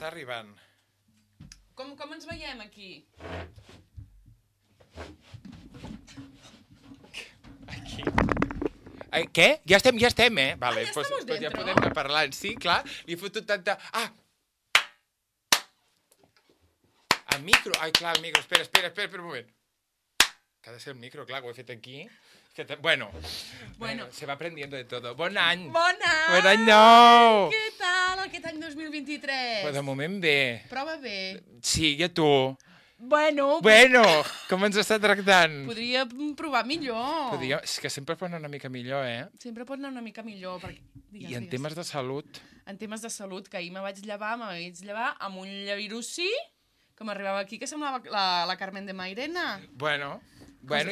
Està arribant. Com ens veiem aquí? Aquí. Què? Ja estem, Vale, ja pues estamos ja dentro. podem anar parlant. Sí, clar, li he fotut tanta... El micro. Ai, clar, el micro. Espera un moment. Que ha de ser el micro, clar, ho he fet aquí. Bueno, se va aprendiendo de todo. Bon any! Bon any! Bon any nou! Què tal aquest any 2023? Però de moment bé. Prova bé. Sí, i a tu? Bueno, Com ens està tractant? podria provar millor. És que sempre pot anar una mica millor, eh? Sempre pot anar una mica millor. Perquè... I en temes de salut? En temes de salut, que ahir me vaig llevar amb un llavirucí que m'arribava aquí, que semblava la Carmen de Mairena. Bueno,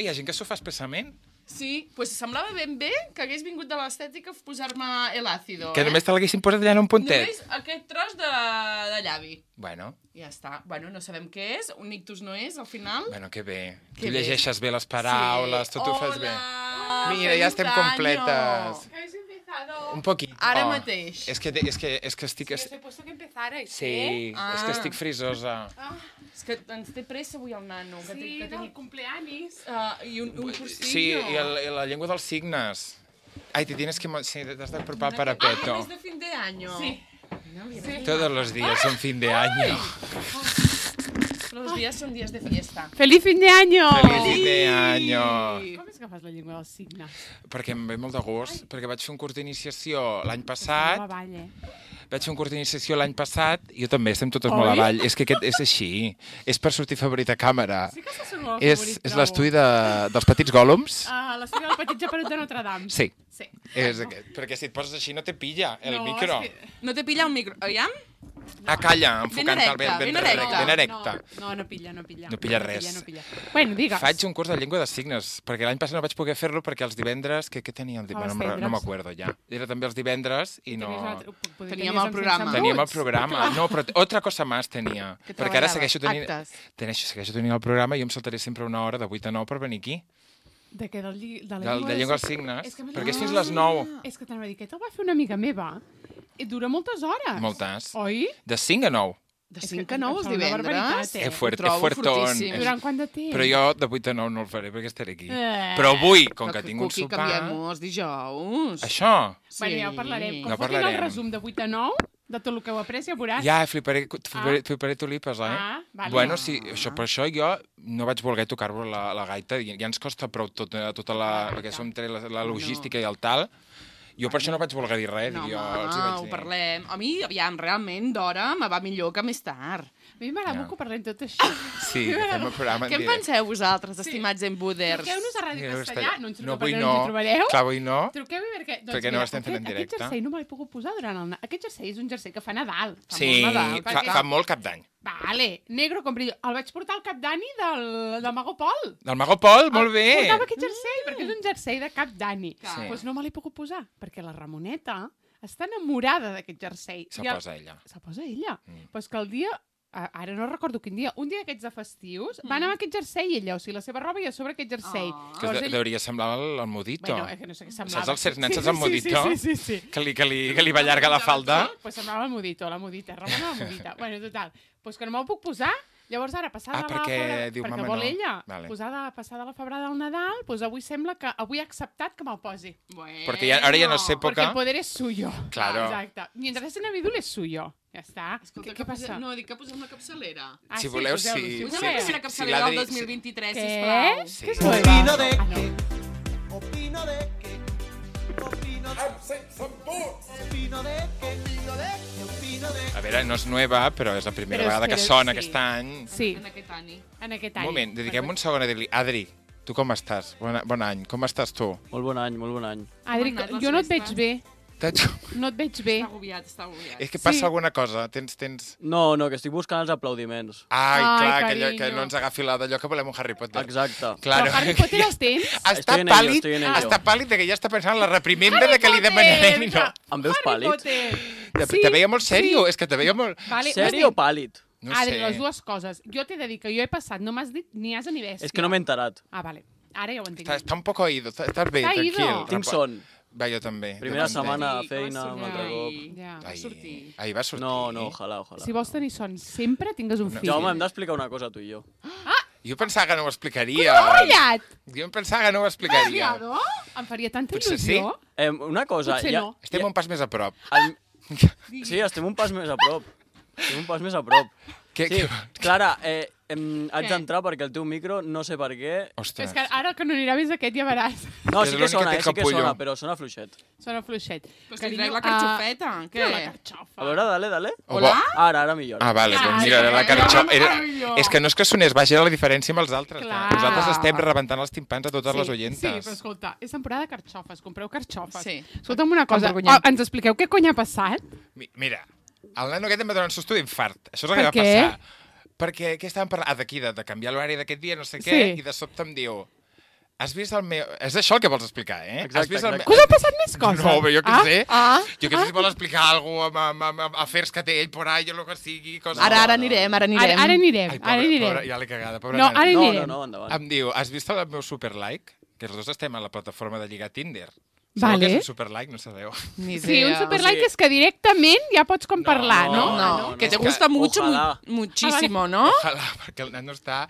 hi ha gent que s'ho fa expressament. Sí, pues semblava ben bé que hagués vingut de l'estètica a posar-me el àcido. Que només te l'haguessin posat allà en un puntet. Només aquest tros de llavi. Bueno. Ja està. Bueno, no sabem què és. Un ictus no és, al final. Bueno, que bé. Que Tu bé. llegeixes bé les paraules, Sí. tot ho fas bé. Hola! Mira, ja estem completes. ¿Habéis empezado? Un poquito. Ara mateix. És que estic... Os he puesto que empezarais, Sí, és que estic frisosa. És que ens té pressa avui el nano. Que Sí, que del cumpleaños. I un cursillo. Sí, i la llengua dels signes. Ai, te tienes que... Sí, t'has de preparar para peto. Es de fin de año. Sí. Todos los días son fin de año. Los días son días de fiesta. ¡Feliz fin de año! Feliz fin de año. Com és que fas la llengua dels signes? Perquè em ve molt de gust, perquè vaig fer un curs d'iniciació l'any passat. No avall, Vaig fer un curs d'iniciació l'any passat i jo també, estem totes molt avall. És que aquest és així. És per sortir favorit a càmera. Sí que és el seu nou És favorit, l'estudi dels petits gòlums. L'estudi del petit japerut de Notre Dame. Sí, Sí. és aquest. Perquè si et poses així no te pilla el No, micro. és que- No te pilla un micro. Aviam? Calla, enfocant-te'l ben erecte. No pilla. No pilla res. No pilla. Bueno, digues. Faig un curs de llengua de signes, perquè l'any passat no vaig poder fer-lo perquè els divendres... Què tenia el divendres? Els No m'acuerdo ja. Era també els divendres i no... Teníem el programa. Teníem el programa. No, però otra cosa más tenia. Que Perquè ara treballaves, segueixo tenint el programa i jo em saltaré sempre una hora de 8 a 9 per venir aquí. De què? De la De llengua als signes. És que a més- Perquè és fins les 9. És que t'anava a dir que te'l va fer una amiga meva. I dura moltes hores. Moltes. Oi? De 5 a 9. De És 5 que a 9 els em sembla una divendres. barbaritat, eh? És Ho trobo fuertón. fortíssim. Durant quant de temps? Però jo de 8 a 9 no el faré perquè estaré aquí. Però avui, com que tinc un Cuqui, sopar... canviem els dijous. Això? Bueno, ja ho parlarem. Com No fotin el parlarem. resum de 8 a 9, de tot el que heu après, ja veuràs. Ja, fliparé tulipes, eh? Ah, vale. Bueno, sí, per això jo no vaig voler tocar-vos la gaita. Ja ens costa prou tota la... Perquè som entre la logística i el tal. Jo per això no vaig voler dir res. No, jo home, els hi vaig ho dir. parlem. A mi, aviam, realment, d'hora me va millor que més tard. A mi m'agrada Ja. molt que parlem tot això. Sí, que fem el programa en Què en directe. penseu vosaltres, estimats en Buders? Truqueu-nos a Ràdio Castellà, no ens No, avui trobareu, no. ens hi trobareu. Clar, avui no. Truqueu-hi perquè... Doncs Perquè no mira, estem fent en directe. Aquest jersei no me l'he pogut posar durant el... Aquest jersei és un jersei que fa Nadal. Sí, molt Nadal, fa molt cap d'any. Vale, negro com brillo. El vaig portar al cap d'ani del Mago Pol. Del Mago Pol, molt bé. Portava aquest jersei, perquè és un jersei de cap d'ani. Sí. Doncs no me l'he pogut posar, perquè la Ramoneta està enamorada d'aquest jersei. Se I el- posa ella. Se posa ella. Però és que el dia... Ara no recordo quin dia. Un dia d'aquests de festius va anar amb aquest jersei ella, o sigui, la seva roba i a sobre aquest jersei. Que hauria semblar el Modito. Bueno, és que no sé què semblava. Saps els certs nens, saps el Modito? Sí. Que li va allargar la falda. Pues semblava el Modito, la Modita, Ramona la Modita. Bueno, total, pues que no me'l puc posar. Llavors ara, passada perquè diu, perquè mama, vol no. ella, Vale. passada la febrada del Nadal, pues avui sembla que avui ha acceptat que me'l posi. Bueno. Perquè ara ja no és Porque època. el poder es suyo. Claro. Exacte. Mientras ese Navidul es suyo. Ja està. Escolta, Què passa? No, dic que posem la capçalera. Ah, Si voleu, poseu-lo, sí. si Posem voleu. la Sí, capçalera del l'Adri- 2023, Què? sisplau. Sí. Què és Opino de Ah, no. que... Opino de que... Opino de que... Opino de A veure, no és nova, però és la primera Però és vegada que que- sona sí. aquest any. Sí, En aquest any. en aquest Un any. moment, dediquem un segon a dir-li, Adri, tu com estàs? Bon any, com estàs tu? Molt bon any, molt bon any. Adri, Com han anat les jo no et veig festes? bé. No et veig bé. Està agobiat, està agobiat. És que passa Sí. alguna cosa, tens... No, que estic buscant els aplaudiments. Ai, Ai, clar, carinyo. que no ens agafi d'allò que volem un Harry Potter. Exacte. Claro. Però Harry Potter els tens? Està Estoy en ello, pàl·lid, estoy en ello. està pàl·lid de que ja està pensant en la reprimenda de que li demanarem i no. Em veus Harry pàl·lid? Potter. Te veia molt sèrio, és que te veia molt... Vale, Sèrio o pàl·lid? No Adri, sé. les dues coses. Jo t'he de dir que jo he passat, no m'has dit ni asa ni bèstia. És que no m'he enterat. Ah, vale. Ara ja ho entenc. Està un poco oído, estàs bé, Està tranquil. ido. Tinc son. Va, jo també. Primera jo també. setmana de Ai, feina, com un altre va cop. Ja. Va sortir. Ahir va sortir. No, ojalà. Si vols tenir son sempre, tingues un fill. Jaume, hem d'explicar una cosa, tu i jo. Jo pensava que no ho explicaria. Callat! Jo em pensava que no ho explicaria. Mariado? Em faria tanta Potser il·lusió. Una cosa... Potser no. Estem un pas més a prop. Sí, estem un pas més a prop. Què? Sí, Clara, haig d'entrar perquè el teu micro, no sé per què... Ostres. És que ara que no anirà més aquest ja veràs. No, És sí que l'únic sona, que té sí que capullo. sona, però sona fluixet. Sona fluixet. Però si trec la carxofeta, què? La carxofa. A veure, dale. Hola? Ara millora. Ah, vale, doncs Ai, mira, la carxofa... meravellós. És que no és que sonés baix, era la diferència amb els altres. Clar. Nosaltres estem rebentant els timpans a totes les Sí, oientes. però escolta, és temporada de carxofes, compreu carxofes. Sí. Escolta'm una cosa, Emborgunyem. ens expliqueu què cony ha passat? Mira, el nano aquest em va donar un susto d'infart. Això és el que Per va què? passar. Perquè què estàvem parlant? D'aquí, de canviar l'horari d'aquest dia, no sé què, Sí. i de sobte em diu... Has vist el meu... És això el que vols explicar, eh? Exacte, Has vist el exacte. Que us ha passat més coses? No, però jo què sé. Ah. Jo què sé si vol explicar alguna cosa amb afers que té ell por ahí o el que sigui. Coses... Ara anirem. Ara anirem, Ai, ara anirem. pobre, ja l'he cagada, pobre No, nena. ara anirem. No, endavant. Em diu, has vist el meu superlike? Que els dos estem a la plataforma de lligar Tinder. Vale. Sabeu què és un superlike? No sabeu. Ni Sí, un idea. superlike és que directament ja pots com parlar, no? Que te és que gusta mucho, ojalá. muchísimo, ¿no? Ojalà, perquè el nano està...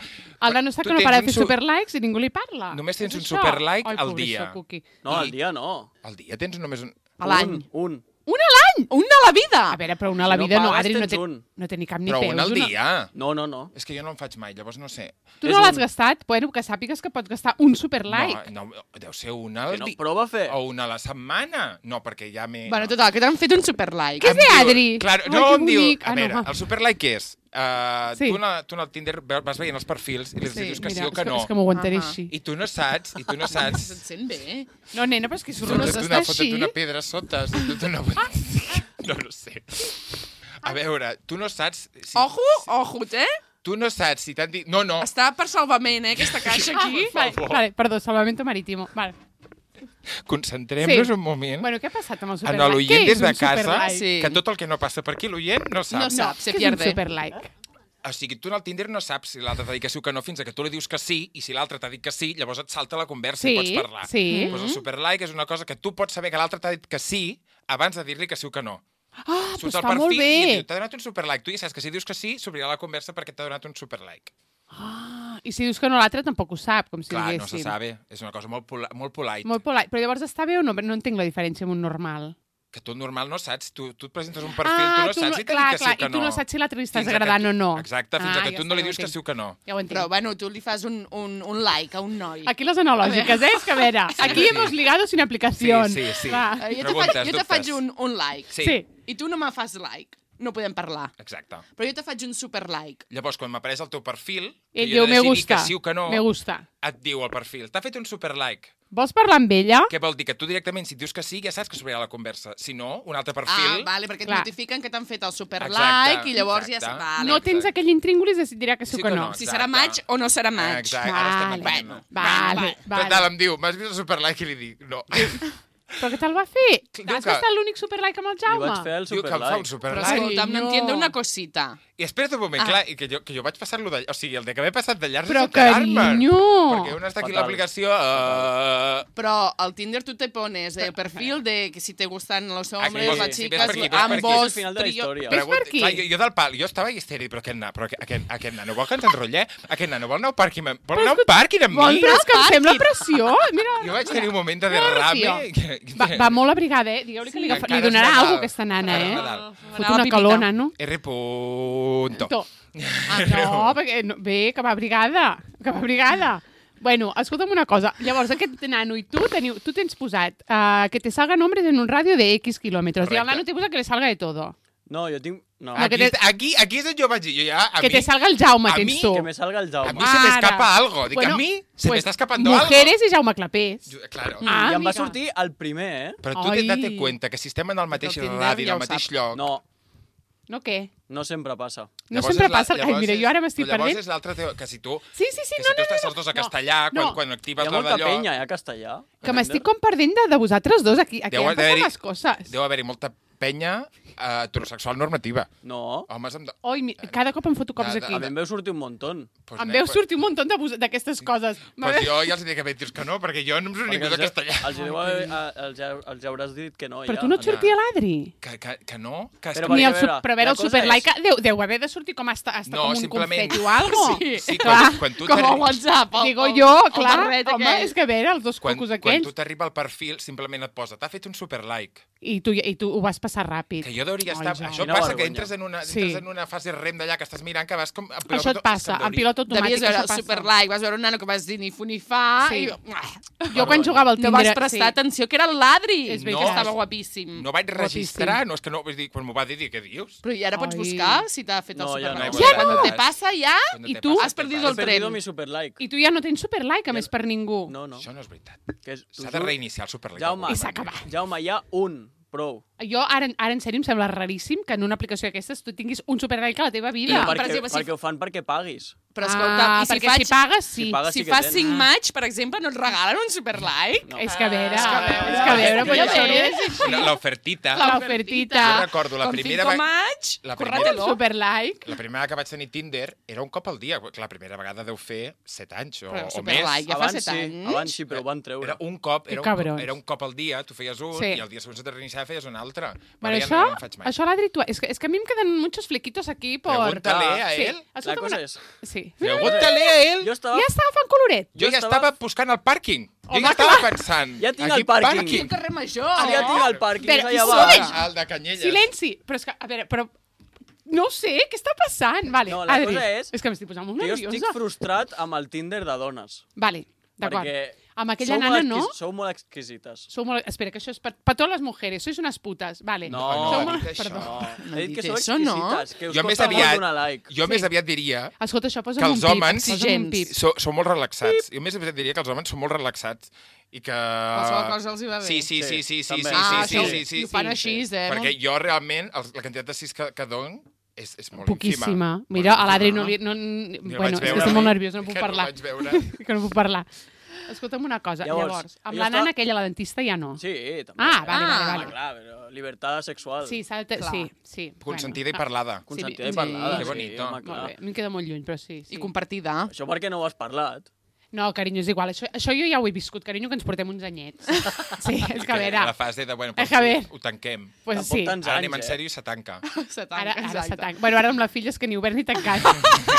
El nano està Tu que no tens para un de fer superlikes i ningú li parla. Només tens És un això? superlike Ai, al pobra dia. això, Cuqui. No, al dia no. Al dia tens només un... A l'any. Un. Un a l'any! Un a la vida! A veure, però una a la Si no vida no, pagues, Adri, tens un. no té ni cap ni Però peus. un al dia. No. És que jo no en faig mai, llavors no sé. Tu És no l'has un. gastat? Bueno, que sàpigues que pots gastar un superlike. No, deu ser una al Que no, dia. prova a fer. O una a la setmana. No, perquè ja m'he... Bueno, total, que t'han fet un superlike. Què Em és diu- Adri? Claro, Ai, no, que em diu... bonic. A Ah, no, veure, va. el superlike què és? Sí. Tu en el Tinder vas veient els perfils i li dius que sí o que no. És que m'ho aguantaré Ahà. així. I tu no saps, Se't sent bé. No, nena, però és que Tu surt no no una està foto així. d'una pedra sota. No sé. A veure, tu no saps... Si, Ojo, eh? Tu no saps si t'han dit... No. Està per salvament, aquesta caixa aquí. Vale, perdó, salvamento marítimo. Vale. Concentrem-nos Sí. un moment Bueno, què ha passat amb el en superlike? l'oient Què des és de un casa, superlike? Sí. que tot el que no passa per aquí l'oient no sap. No sap, se Què és un pierde. superlike? O sigui, tu en el Tinder no saps si l'altre t'ha dit que sí o que no fins que tu li dius que sí, i si l'altre t'ha dit que sí, llavors et salta la conversa Sí, i pots parlar. sí. Doncs el superlike és una cosa que tu pots saber que l'altre t'ha dit que sí abans de dir-li que sí o que no. Ah, Surts doncs al està molt perfil i et bé. diu, t'ha donat un superlike. Tu ja saps que si dius que sí, s'obrirà la conversa perquè t'ha donat un superlike. Ah, i si dius que no, l'altre tampoc ho sap, com si Clar, no diguéssim. se sabe. És una cosa molt polite. Molt polite. Però llavors està bé o no? No entenc la diferència amb un normal. Que tu normal no saps. Tu et presentes un perfil, tu no saps si t'ha clar, dit que sí clar, o que i tu no. no saps si l'altre li estàs Fins a que agradant tu- o no. Exacte, fins a que ja tu no està, li ja ho dius que entenc. sí o que no. Ja ho entenc. Però, bueno, tu li fas un like a un noi. Aquí les analògiques, És que a veure, aquí sí. hemos ligado sin aplicación. Sí. Clar. Jo te faig dubtes. un like. Sí. I tu no me fas like. No podem parlar. Exacte. Però jo te faig un super like. Llavors, quan m'apareix el teu perfil, que Ell jo he diu, de me decidir gusta, que sí o que no, me gusta. et diu al perfil, t'ha fet un superlike. Vols parlar amb ella? Què vol dir? Que tu directament, si dius que sí, ja saps que s'obrirà la conversa. Si no, un altre Ah, perfil... vale, perquè et Clar. notifiquen que t'han fet el super Exacte, like i llavors ja... exacte. Vale. No tens aquell intríngulis de si et dirà que sí o que no. Si serà maig o no serà maig. Exacte, ara estem Vale, entenent. vale, vale. Total, em diu, m'has vist el superlike? I li dic, no. Però què te'l va fer? Diu Has que- estat l'únic superlike amb el Li Jaume? vaig fer el Diu que em fa un superlike. Però superlike. escolta'm, no Cariño. entiendo una cosita. I espera't un moment, clar, i que jo vaig passar-lo de... O sigui, el de que m'he passat de llarg Però, és enterar-me. carinyo! Perquè un està aquí a Fatal. l'aplicació... Però al Tinder tú te pones el perfil de que si te gustan los hombres, Aquí, las sí, chicas, ves per aquí, ves per aquí. És ambos, el final de la trío... història. Ves per aquí? Clar, jo del pal, jo estava histèric, però aquest nano vol que ens enrotllem? Aquest nano vol anar a un pàrquing amb, vol anar a un pàrquing amb Vol, mi? però és que em sembla pressió. Mira, Jo vaig tenir un moment de Mira, derrame. va molt abrigada, Digueu-li que li Encara és donarà Nadal. alguna cosa aquesta nana, Encara és Nadal. Fot una calona, no? R. Punto. No, perquè bé, que va abrigada. Bueno, escolta'm una cosa. Llavors, aquest nano i tu tens posat que te salgan hombres en un radio de X kilómetros. I el Correcte. nano te posa que le salga de todo. No, jo tinc... No, Ah, que Aquí és on jo vaig dir. Jo ja, Que te salga el Jaume, a tens mi, tu. que me salga el A Jaume. mi se m'escapa algo. Dic, Bueno, a mi se pues, m'està escapando algo. Mujeres i Jaume Clapés. Claro. Ah, I em va amiga. sortir el primer, eh? Però tu Ai. date cuenta que si estem en el mateix Tinder radi, en ja el ho mateix sap. lloc... No, No què? No sempre passa. No sempre passa. Ai, mira, jo ara m'estic perdent. Llavors és l'altre teo, que si tu... Sí, Que si tu estàs els dos a castellà, quan Hi actives ha la molta d'allò... penya, a castellà. Que m'estic com perdent de vosaltres dos aquí. Aquí han passat les coses. Deu haver-hi molta penya heterosexual normativa. No. Homes amb... Oi, cada cop em foto cops aquí. A mi em veu sortir un muntó. Em veu sortir un munt d'aquestes coses. Pues jo ja els dic que dius que no, perquè jo no em surt ningú de castellà. Els hauràs dit que no. Però tu no et sortia l'Adri? Que no? Però Ni el a veure el Superlaica deu haver de sortir com hasta com un confeti o algo. Sí, quan tu Com a WhatsApp. Digo jo, clar, home, és que a veure, els dos cocos Quan aquells. tu t'arriba al perfil, simplement et posa, t'ha fet un superlike. I tu ho vas passar ràpid. Que jo hauria estar... Ai, Això quina passa que vergonya. entres en una fase rem d'allà que estàs mirant que vas com... Això et passa, en pilot automàtic Devies veure això el passa. Superlike, vas veure un nano que vas dir ni fu ni fa... Sí. I... Jo quan jugava al No Tinder... vas prestar atenció, que era l'Adri. És Que veritat. estava guapíssim. No vaig registrar, no és que no... Vull dir, quan m'ho va dir, què dius? Però i ara pots Ai. buscar si t'ha fet el No, ja no. Superlike. Ja Cuando no. te passa, ja... I tu has perdido el He perdido tren. mi superlike. I tu ja no tens Superlike, a més, per ningú. No, no. Això no és veritat. T'ho S'ha de juro. reiniciar el superlike. Jaume, I s'ha acabat. Jaume, hi ha un. Prou. Jo, ara en sèrio, em sembla raríssim que en una aplicació d'aquestes tu tinguis un Superlike a la teva vida. No, perquè, per exemple, si- perquè ho fan perquè paguis. Però escolta, i si perquè si pagues, sí. Si pagues, Si sí que fas tens. 5 maig, per exemple, no et regalen un Superlike? No. És que a veure, és que a veure, però ja això veure. és així. L'ofertita. L'ofertita. Jo recordo la Con primera 5 maig, la córratelo. Superlike. La primera que vaig tenir Tinder era un cop al dia. La primera vegada deu fer 7 anys o més. Superlike, ja fa 7 anys. Abans sí, però ho van treure. Era un cop, Que cabrons. era un cop al dia, tu feies un Sí. i el dia següent se te reiniciava feies un altre. Bueno, Ara ja no en faig mai. això l'Adri, tu... És que a mi em queden muchos flequitos aquí por... Pregúntale a Sí. él. La Escolta'm cosa una- és... Sí. Pregúntale a ell. Jo estava... Ja està agafant coloret. Jo ja estava buscant el pàrquing. Jo Home, ja estava pensant. Ja tinc aquí el pàrquing. Un carrer major. Ja tinc el pàrquing, Espera, és allà silenci. baix. El de Canyelles. Silenci. Però és que, a veure, però... No ho sé, què està passant? Vale, No, la Adri, cosa és que m'estic posant molt Que jo nerviosa. estic frustrat amb el Tinder de dones. Vale, d'acord. Perquè Amb aquella nana, no? Sou molt exquisites. Sou molt... Espera, que això és per totes les mujeres. Sois unes putes. Vale. No, Sou no, molt... dit això. Perdó. No, he dit que dit sou això, no? exquisites, que us Jo més costa molt aviat, donar like. jo més aviat diria Escolta, això posa que un els pip. homes Posa un pip. sou molt relaxats. Jo més aviat diria que els homes són molt relaxats i que... Qualsevol cosa els hi va bé. Sí, sí, Sí, sí, sí, sí, també. sí, Ah, sí, això sí, sí, ho fan així, Perquè jo realment, la quantitat de cis que dono és molt Poquíssima. ínfima. Mira, a l'Adri no Molt li... ínfima. No, Ni la bueno, vaig és que veure. estic molt nerviosa, no puc Que parlar. No vaig veure. Que no puc parlar. Escolta'm una cosa, llavors, amb jo la estava- nana aquella, la dentista, ja no. Sí, també. Ah, vale, Ah, vale, vale. Clar, però llibertat sexual. Sí, s'ha de... Clar. Sí, sí. Consentida i Bueno, parlada. Consentida Sí, i parlada. que sí, bonito. home, Molt clar. bé, m'hem quedat molt lluny, però sí. I compartida. Això perquè no ho has parlat. No, carinyo, és igual. Això jo ja ho he viscut, carinyo, que ens portem uns anyets. Sí, és que a veure... La fase de, bueno, És que a veure. ho tanquem. Pues Tampoc sí. tants Ara anys, anem en sèrio i se tanca. Ara s'ha tancat. Bueno, ara amb la filla és que ni obert ni tancat.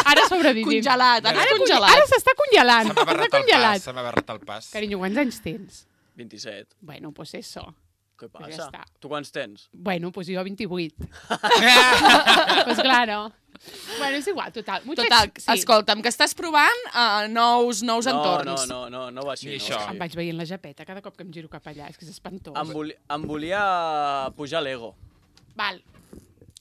Ara sobrevivint. Congelat, ara és congelat. Ara s'està congelant. Se m'ha barrat Està el pas, congelat. se m'ha barrat el pas. Carinyo, quants anys tens? 27. Bueno, pues eso. Què Pues passa? ja està. Tu quants tens? Bueno, pues jo 28. Pues claro. Bueno, és igual, total. Total, escolta'm, que estàs provant nous entorns. No va així. Ni no això. va Em així. vaig veient la japeta cada cop que em giro cap allà. És que és espantós. Em volia pujar l'ego. Val.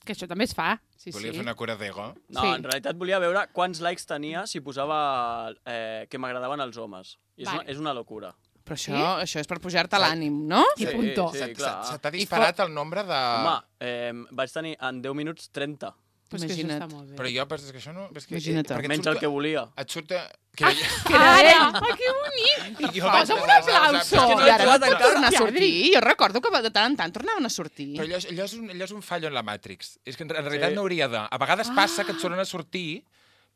Que això també es fa. Sí, Volia sí. fer una cura d'ego. No, Sí. en realitat volia veure quants likes tenia si posava que m'agradaven els homes. I Vale. és una locura. Però això és per pujar-te l'ànim, no? I punto. Sí, Se clar. t'ha disparat el nombre de... Home, vaig tenir en 10 minuts 30. Pues que això Imagina't. està molt bé. Però jo, és que això no... És que, Imagina't. perquè et Menys surt- el que volia. Et surt... Que, Ara! Ah, que bonic! jo Posa'm un vaig- aplauso. És que I ara no jugat pot encara. tornar a Ja, sortir. Jo recordo que de tant en tant tornaven a sortir. Però allò és un fallo en la Matrix. És que en realitat Sí. no hauria de. A vegades passa que et tornen a sortir,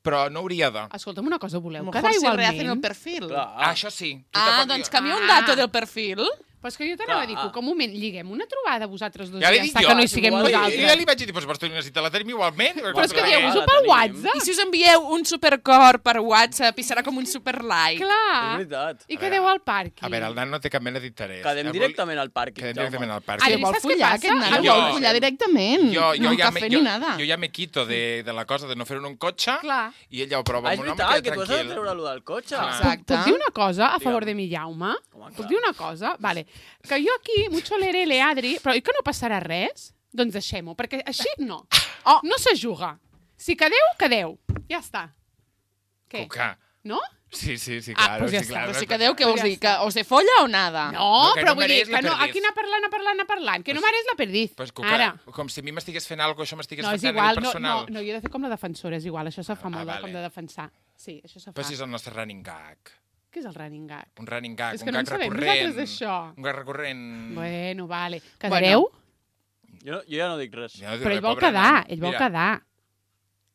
però no hauria de. Escolta'm una cosa, A voleu lo quedar mejor se rehacen el igualment? perfil. Clar. Això sí. Tu Ah, te pot- doncs canvia un Ah. dato del perfil. Però és que jo t'anava a dir Clar. que un moment lliguem una trobada vosaltres dos Ja i li ja dic està, jo. que no hi siguem igual, Jo nosaltres. ja li vaig dir, doncs vols necessitar la tenim igualment. Però és que Clar, dieu-vos-ho la pel tenim. WhatsApp. I si us envieu un supercor per WhatsApp i serà com un superlike? És Clar. veritat. I quedeu al parc. A veure, el nan no té cap mena d'interès. Quedem directament al pàrquing, Quedem Jaume. directament al Adri, parc. Que vol saps què follar, passa? aquest nano, Jo- vol follar directament. Jo no un ja cafè ni nada. jo ja me quito de la cosa de no fer-ho en un cotxe Clar. i ell ja ho prova Ah, amb és un home veritat, que que tu has de tranquil. treure-lo del cotxe. Exacte. Puc dir una cosa a favor Digue'm. de mi Jaume? Home, Puc clar. dir una cosa? Vale. Que jo aquí, mucho lerele, Adri, però oi que no passarà res? Doncs deixem-ho, perquè així no. Oh, no se juga. Si quedeu, quedeu. Ja està. Què? Cuca. No? Sí, claro. pues ja sí, està. claro. Però sí que Déu, què vols dir? Que o se folla o nada? No, que però no vull dir mereix la que no, perdiz. aquí anar parlant, que no mereix la perdiz. Pues, Ara. com si a mi m'estigués fent alguna cosa, això m'estigués No, és fent a igual, nivell personal. no, jo he de fer com la defensora, és igual, això se fa molt, vale. com de defensar. Sí, això se fa. Però si és el nostre running gag. Què és el running gag? Un running gag, És que un no en gag sabem recurrent. nosaltres d'això. Un gag recurrent. Bueno, vale. Quedareu? Jo ja no dic res. Ja no dic Però res, ell vol pobre quedar, nano. ell vol Mira, quedar.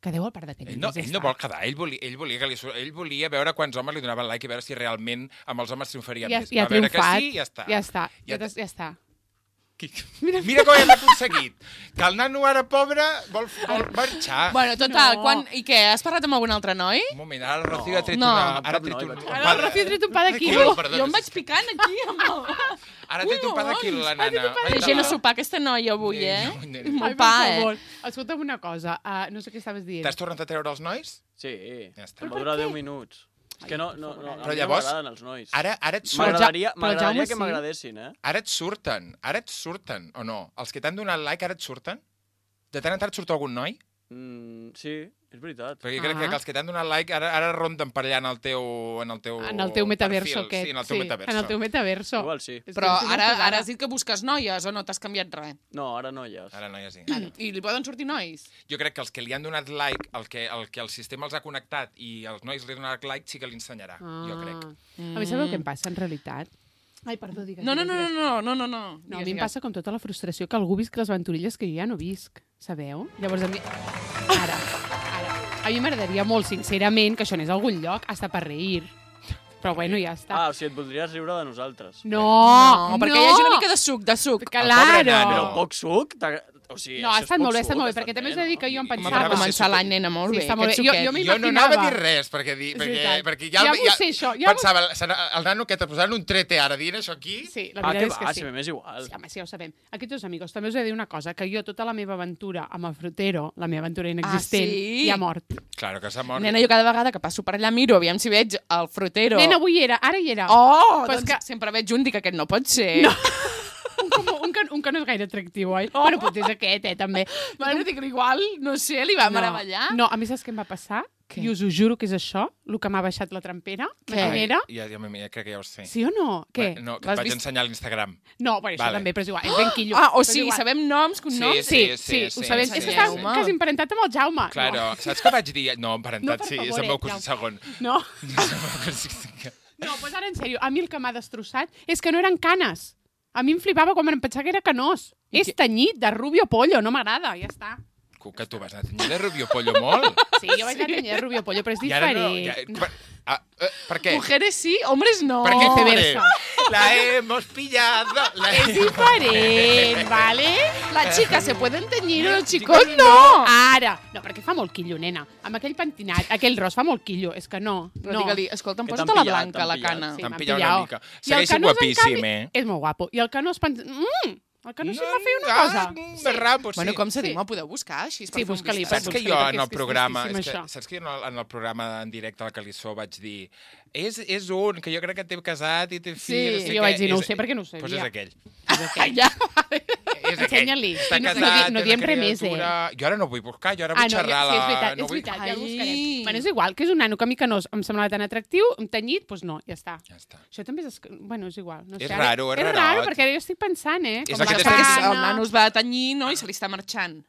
Quedeu al parc de Ell no vol quedar, ell volia veure quants homes li donaven like i veure si realment amb els homes triomfaria més. Ja ha Va veure que triomfat. sí, ja està. Ja està. Mira com hem aconseguit. Que el nano ara, pobre, vol marxar. Bueno, total, No. I què? Has parlat amb algun altre noi? Un moment, ara el Rocío ha tret No. una... Amb Ara ha cap tret noi, un... vaig Ara el Rocío ha tret un pa de quilo. Perdona, Jo em vaig picant aquí amb el... Ara ha tret un pa de quilo, la nana. Té gent a sopar aquesta noia avui, Molt pa, Escolta'm una cosa, no sé què estaves dient. T'has tornat a treure els nois? Sí, Ja està. em va durar 10 minuts. És que no, a Però mi llavors, no m'agraden els nois. Ara et M'agradaria Però el Jaume que sí. m'agradessin, Ara et surten, o no? Els que t'han donat like ara et surten? De tant en tant et surt algun noi? Sí, és veritat. Perquè jo crec que els que t'han donat like ara ronden per allà en el teu metaverso perfil. aquest. Sí, en el teu metaverso. En el teu metaverso. Igual sí. Però ara has dit que busques noies o no t'has canviat res? No, ara no hi és. Ara no hi ha sí. I li poden sortir nois? Jo crec que els que li han donat like, el que el sistema els ha connectat i els nois li han donat like, sí que li ensenyarà, jo crec. A mi sabeu què em passa, en realitat? Ai, perdó, digues. No, No, a mi em passa com tota la frustració que algú visc les aventurilles que jo ja no visc, sabeu? Llavors a mi... Ara. A mi m'agradaria molt, sincerament, que això anés a algun lloc, hasta per reir. Però bueno, ja està. O sigui, et voldries riure de nosaltres. No, perquè hi hagi una mica de suc, Claro. Però poc suc? O sigui, No, ha això és estat poc molt bé, ha estat suc, molt bé, perquè també us he de dir que jo em Va pensava... començar l'any, nena, molt Sí, bé. està molt aquest bé. Jo suquet. m'imaginava... Jo no anava a dir res, perquè veritat. ja Ja m'ho sé, això, ja pensava, el nano que t'ha posat un trete ara dient això aquí? Sí, la Ah, veritat que és que va, sí. si m'és igual. Sí, home, sí, ja ho sabem. Aquests dos amigos, també us he de dir una cosa, que jo tota la meva aventura amb el frutero, la meva aventura inexistent, sí? ja ha mort. Claro que s'ha mort. Nena, jo cada vegada que passo per allà miro, aviam si veig el frutero. Nena, avui era, ara hi era. Oh, Però és doncs que- sempre veig un, dic que aquest no pot ser. No. Un que no és gaire atractiu, oi? Oh. Bueno, potser és aquest, també. Bueno, dic, igual, no sé, li va meravellar. No, a mi saps què em va passar? Què? I us ho juro que és això, el que m'ha baixat la trampera. Què? Maquinera. Ja crec que ja ho sé. Sí o no? Què? No, que L'has et vaig vist? ensenyar a l'Instagram. No, bueno, això Vale. també, però és igual. És ben quillo. Ah, o Però és sigui, igual. sabem noms, cognoms? Sí, ho sabem. És que està Ensenyeu-me. quasi emparentat amb el Jaume. Claro, saps què vaig dir? No, emparentat, No, per sí, és favor, el meu ja. cosí segon. No, És el meu cosí segon. no, doncs ara en sèrio, a mi el que m'ha destrossat és que no eren canes. A mi em flipava quan em pensava que era canós. És tenyit, de rubio pollo, no m'agrada, ja està. Que tu vas anar a tenyir de Rubio Pollo molt. Sí, jo vaig anar a tenyir de rubio pollo, però és I ara diferent. no. Per què? Mujeres sí, hombres no. ¿Per qué viceversa. La hemos pillado. És diferent, ¿vale? Las chicas se pueden teñir, los Chicos, chicos no. Ara. No, perquè fa molt quillo, nena. Amb aquell pentinat, aquell ros fa molt quillo. És que no. Però no. digue-li, escolta, em Que posa t'han la pillat, blanca, t'han la pillat. cana. Sí, T'han m'han pillat una pillat. mica. I el Segueixo Canós, en guapíssim, canvi, és molt guapo. I el Canós... El Canós sí em va fer una cosa. Rapo, sí. Bueno, com se diu? Sí. Me'l podeu buscar, així? Sí, busca-li. Saps que jo en el programa, tristíssim, això. saps que jo en el programa en directe al Calissó vaig dir és un, que jo crec que té casat i té fill. Sí, I jo vaig dir, no ho sé, perquè no ho sabia. Doncs és aquell. Ja. És aquell. Ensenya-li. Està I no- casat, no té diem una res més, criatura. Jo ara no vull buscar, jo ara vull no, xerrar sí, és veritat, no és vull... veritat, ja el Ai. buscarem. Bueno, és igual, que és un nano que a mi que no em semblava tan atractiu, tenyit, doncs no, ja està. Ja està. Això també és... Bueno, és igual. No sé, És ara- raro, és És rarot. raro, perquè ara jo estic pensant, És Com aquest la Perquè estat- cana. el nano es va tenyir, no? I se li està marxant.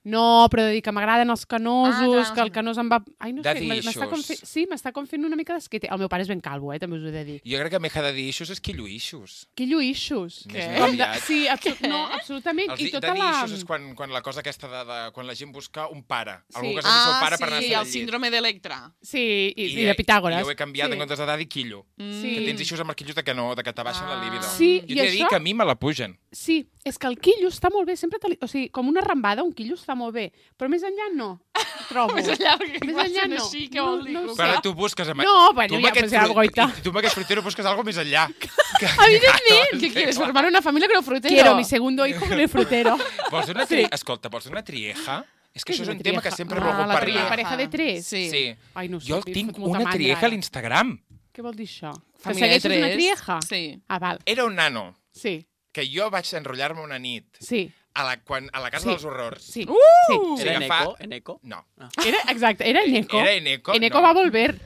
No, però de dir que m'agraden els canosos, Ah, que el canós em va... Ai, no sé, Daddy issues. sí, m'està com fent una mica d'esquete. El meu pare és ben calvo, també us ho he de dir. Jo crec que més que de dir eixos és quilluixos. Que lluïxos. Més Com de... aviat. Sí, no, absolutament. I tota de dir la... eixos és quan la cosa aquesta quan la gent busca un pare. Sí. Algú que és el seu pare per anar a sí, fer el el llit. síndrome d'Electra. Sí, i de Pitàgores. I ho he canviat sí. en comptes de daddy quillo. Sí. Que tens eixos amb els quillos de que no, de que t'abaixen la libido. Sí, jo i t'he de dir això- que a mi me la pugen. Sí, és que el quillo està molt bé, sempre o sigui, com una rambada, un quillo està molt bé, però més enllà no, trobo. Més enllà, perquè Més igual enllà sent no. així, què vol dir? No, no ho Però sé. ara tu busques... Amb... No, bueno, tu amb ja, aquest pues ja, goita. I tu amb aquest frutero busques algo més enllà. Evidentment. ¿Qué quieres? ¿Formar una familia con el frutero? Quiero mi segundo hijo con el frutero. Vols una Sí. Escolta, vols una trieja? És que Què això és una un tema que trieja? sempre he Ah, volgut la parlar. trieja. Pareja de tres? Sí. Sí. Ai, no ho sé, Jo li tinc fot molta una mandra, trieja a ara. l'Instagram. Què vol dir això? Que Família de segueixes una tres. trieja? Sí. Ah, val. Era un nano Sí, que jo vaig enrotllar-me una nit sí, a la casa Sí. dels horrors. sí. Uh! sí. Era Sí, en que fa- Eco? En Eco? No. Era, exacte, era Eneco. Era Eneco, Eneco no. va volver.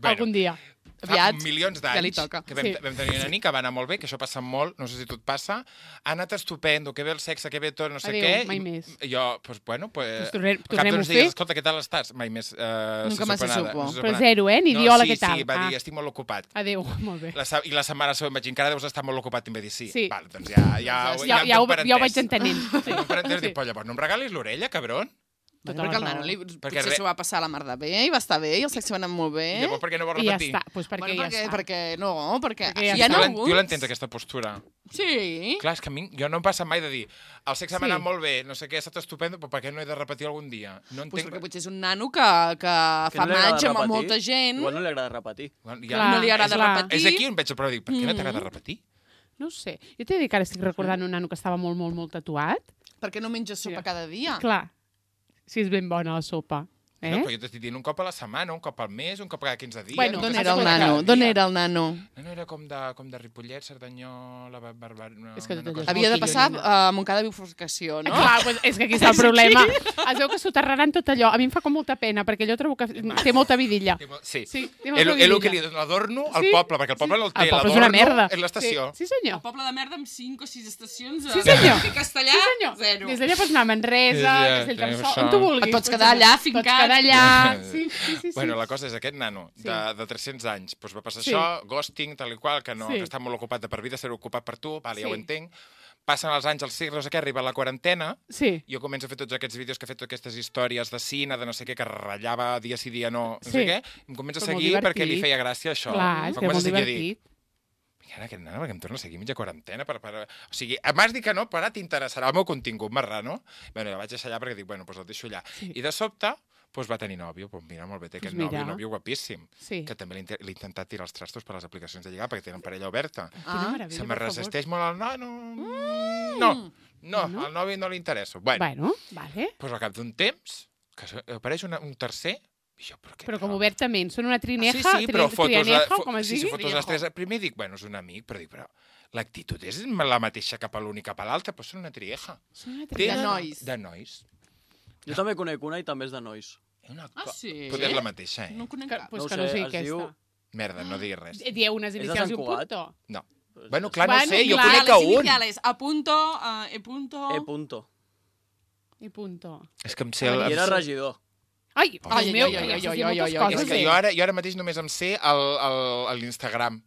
Algun dia. Aviat, milions ja li d'anys toca. que vam tenir una nit que va anar molt bé, que això passa molt, no sé si a tu et passa, ha anat estupendo, que bé el sexe, que bé tot, no sé Adéu, què. mai més. Jo, doncs, bueno, Pues cap tornem-ho d'uns a fer. dies, escolta, què tal estàs? Mai més. Nunca más se supo. Però zero, Ni dir hola, què tal? Sí, va dir, estic molt ocupat. Adéu, molt bé. I la setmana següent vaig dir, encara deus estar molt ocupat, i em va dir, sí. Sí. Val, doncs ja ho vaig entenent. Sí. Però llavors no em regalis l'orella, cabron? Perquè el nano potser s'ho va passar a la mar de bé i va estar bé i el sexe va anar molt bé. I llavors per què no vols I ja repetir? està, doncs perquè ja està. Perquè ja hi ha està. alguns... Tu l'entens, aquesta postura? Sí. Clar, és que a mi, jo no em passa mai de dir el sexe m'ha anat molt bé, no sé què, ha estat estupendo, però per què no he de repetir algun dia? No entenc... Perquè potser és un nano que fa match amb molta gent. Igual no li agrada repetir. No li agrada repetir. És aquí on veig el problema, dic, per què no t'agrada repetir? No ho sé. Jo t'he de dir que ara estic recordant un nano que estava molt, molt, molt tatuat. Perquè no menges sopa cada dia. Clar, si és ben bona la sopa. No, però jo t'estic dient un cop a la setmana, un cop al mes, un cop cada 15 dies... Bueno, d'on era el nano? D'on era el nano? No era com de Ripollet, Cerdanyola, Barberà... És que tot allò és Havia de molt passar pillo, a Montcada de Bifurcació, no? Clar, pues és que aquí està el problema. Es veu que soterraran tot allò. A mi em fa com molta pena, perquè jo trobo que té molta vidilla. Sí, té molta és el que li dona l'adorno al poble, perquè el poble no el té, el poble és una merda. És l'estació. Sí, senyor. El poble de merda amb 5 o 6 estacions. Sí, senyor. I Castellà, Sí, senyor. 0. Des d'allà pots anar a Manresa, Castellterçol, on tu vulguis. Et pots quedar allà, fincat. Pots quedar allà. Sí. Bueno, la cosa és aquest nano, de 300 anys, doncs va passar això, ghosting, tal i qual, que està molt ocupat de per vida, ser ocupat per tu, ja ho entenc. Passen els anys, els segles, no sé què, arriba la quarantena, jo començo a fer tots aquests vídeos que he fet, totes aquestes històries de cine, de no sé què, que ratllava dia sí, dia no sé què, em comença a seguir perquè li feia gràcia això. Clar, és que és molt divertit. Ara aquest nano, perquè em torna a seguir mitja quarantena. O sigui, m'has dit que no, però ara t'interessarà el meu contingut, marrano. Bueno, ja vaig deixar allà perquè dic, bueno, doncs el deixo allà. I de sobte, va tenir nòvio. Mira, molt bé, té aquest nòvio guapíssim. Que també l'he intentat tirar els trastos per les aplicacions de lligar, perquè tenen parella oberta. Se me resisteix molt el nano. No, al nòvio no li interessa. Bueno, vale. Doncs al cap d'un temps, que apareix un tercer. Però com obertament, són una trineja, però com es digui? Sí, fotos les tres. Primer dic, bueno, és un amic, però l'actitud és la mateixa cap a l'un i cap a l'altre, però són una trieja. De nois. De nois. Jo també conec una i també és de nois. Sí? Potser és la mateixa, No conec cap. Pues que no sé aquesta. Merda, no diguis res. Dieu unes inicials i un punto. No. Bueno, clar, no sé, jo conec a un. Les iniciales, A punto, E punto... E punto. E punto. És que em sé... I era regidor. Ai, meu, és que jo ara mateix només em sé l'Instagram.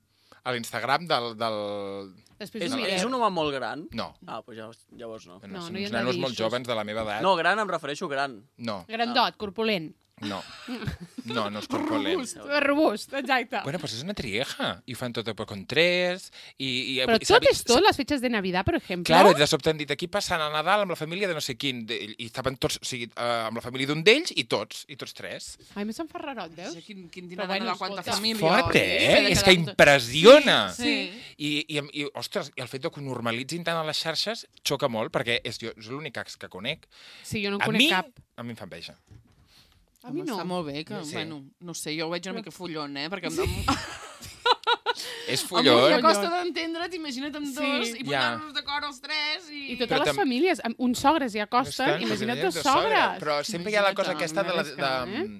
A l'Instagram del... És un home molt gran? No. Doncs llavors no. Són uns nanos molt joves de la meva edat. No, gran em refereixo gran. No. Grandot, corpulent. No, no és corpulent. Robust, exacte. Bueno, pues és una trieja. I ho fan tot con tres. Però tot és tot, les fetges de Navidad, per exemple. Claro, de sobte han dit, aquí passant el Nadal amb la família de no sé quin. I estaven tots, o sigui, amb la família d'un d'ells i tots tres. Ai, més se'n fa rarot, veus? Quin dinar de quanta família. Fort, És que impressiona. Sí. I, ostres, el fet que ho normalitzin tant a les xarxes xoca molt, perquè és l'únic que conec. Sí, jo no en conec cap. A mi em fa enveja. A mi no. Està molt bé, que, bueno, no sé, jo ho veig una mica follon, perquè és follon. Em costa d'entendre, t'imagina't amb dos i posar-nos d'acord els tres. I totes les famílies, uns sogres ja costen, imagina't dos sogres. Però sempre hi ha la cosa aquesta de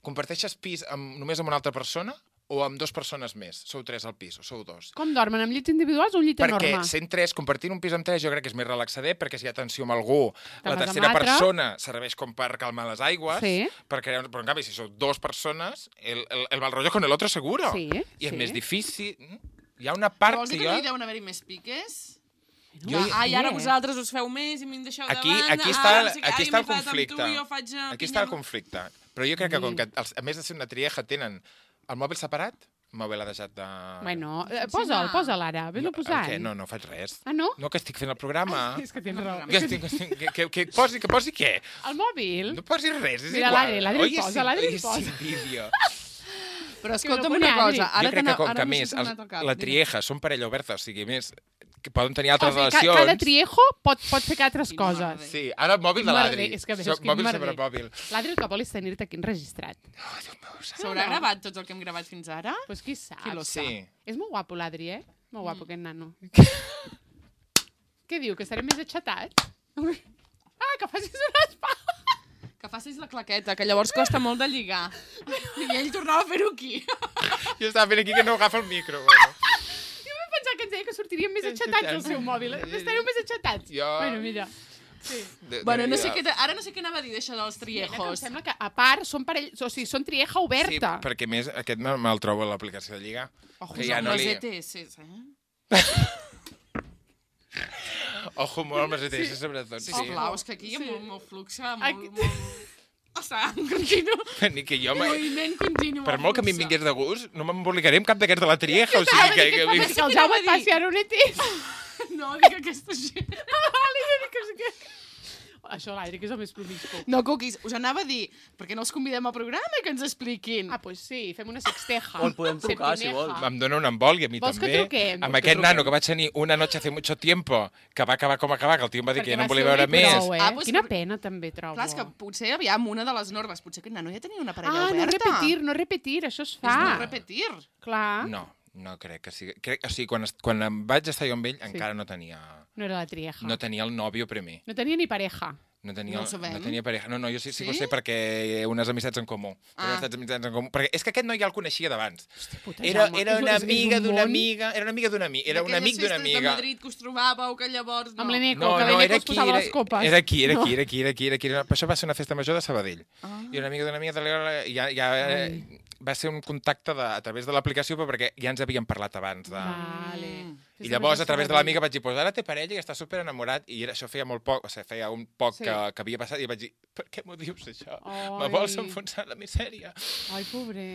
comparteixes pis només amb una altra persona o amb dues persones més? Sou tres al pis o sou dos? Com dormen, amb llits individuals o un llit enorme? Perquè sent tres, compartint un pis amb tres, jo crec que és més relaxader, perquè si hi ha tensió amb algú, la tercera persona serveix com per calmar les aigües, però en canvi, si sou dos persones, el mal rotllo con el otro seguro. I és més difícil. Hi ha una part que jo... Vols dir que no hi deuen haver-hi més piques? I ara vosaltres us feu més i m'hi deixeu davant. Aquí està el conflicte. Aquí està el conflicte. Però jo crec que, com que a més de ser una trieja, tenen el mòbil separat, el mòbil ha deixat de... Bueno, posa'l ara, vés-lo posant. Què? No faig res. Ah, no? No, que estic fent el programa. És que tens raó. Que posi què? El mòbil? No posi res, és igual. Mira, l'Adri el posa. Sin vídeo. Però escolta'm una cosa. Jo crec que, com que més, la trieja són parella oberta, o sigui, més... que poden tenir altres relacions. Cada triejo pot fer altres coses. Sí, ara el mòbil de l'Adri. Mòbil sobre mòbil. L'Adri el que vol és tenir-te aquí enregistrat. S'haurà gravat tot el que hem gravat fins ara? Pues qui sap. Sí. És molt guapo l'Adri, Molt guapo aquest nano. Què diu, que estarem més aixatats? Que facis un espà! Que passis la claqueta, que llavors costa molt de lligar. I ell tornava a fer-ho aquí. Jo estava fent aquí que no agafa el micro. Bueno. Jo vaig pensar que ens deia que sortiríem més aixetats al seu mòbil. Estareu més aixetats. Bueno, mira. Sí. Bueno, no sé ara no sé què anava a dir d'això dels Em triejos. sembla que, a part, són parells... O sigui, són trieja oberta. Sí, perquè més aquest me'l trobo a l'aplicació de Lliga. Ojo, que ja no les li... ETS, Ojo, molt amb les ETS, sobretot. Sí. Sisplau, és que aquí hi ha molt flux, molt... O sigui, continu. Ni que jo... Moviment continu. Per molt que a mi em vingués de gust, no m'embolicaré amb cap d'aquests de la trieja. O sigui que... Que el Jaume et passi ara un ETS. No, dic aquesta gent. Això, l'Adri, que és el més promiscu. No, Cookies, us anava a dir, per què no els convidem al programa i que ens expliquin? Ah, pues sí, fem una sexteja. O el podem trucar, si vol. Em dona un embol i a mi Vols que també. truquem? Amb aquest nano que vaig tenir una noche hace mucho tiempo, que va acabar com acabar, que el tio em va dir que ja no em volia veure més. Pues, Quina pena, també, trobo. Clar, és que potser, aviam, una de les normes, potser aquest nano ja tenia una parella no oberta. repetir, això es fa. És no repetir. Clar. No crec que sigui... O sigui, quan em vaig estar jo amb ell, encara no tenia... No era la trieja. No tenia el nòvio primer. No tenia ni pareja. No tenia, No ho sabem. no tenia pareja. No, jo sí que ho sé perquè unes amistats en comú. Unes amistats en comú. Perquè és que aquest noi ja el coneixia d'abans. Era una amiga d'una amiga. Era una amiga d'una amiga. Era un amic d'una amiga. De Madrid que us trobàveu, que llavors... Amb l'Eneco, No, que no, l'Eneco era es posava aquí, les copes. era aquí. Això va ser una festa major de Sabadell. I una amiga d'una amiga va ser un contacte a través de l'aplicació, però perquè ja ens havíem parlat abans. Vale. I llavors, a través de l'amiga, vaig dir, pues ara té parella i està super enamorat. I això feia molt poc, o sigui, feia un poc que havia passat, i vaig dir, per què m'ho dius, això? Me vols enfonsar la misèria? Ai, pobre.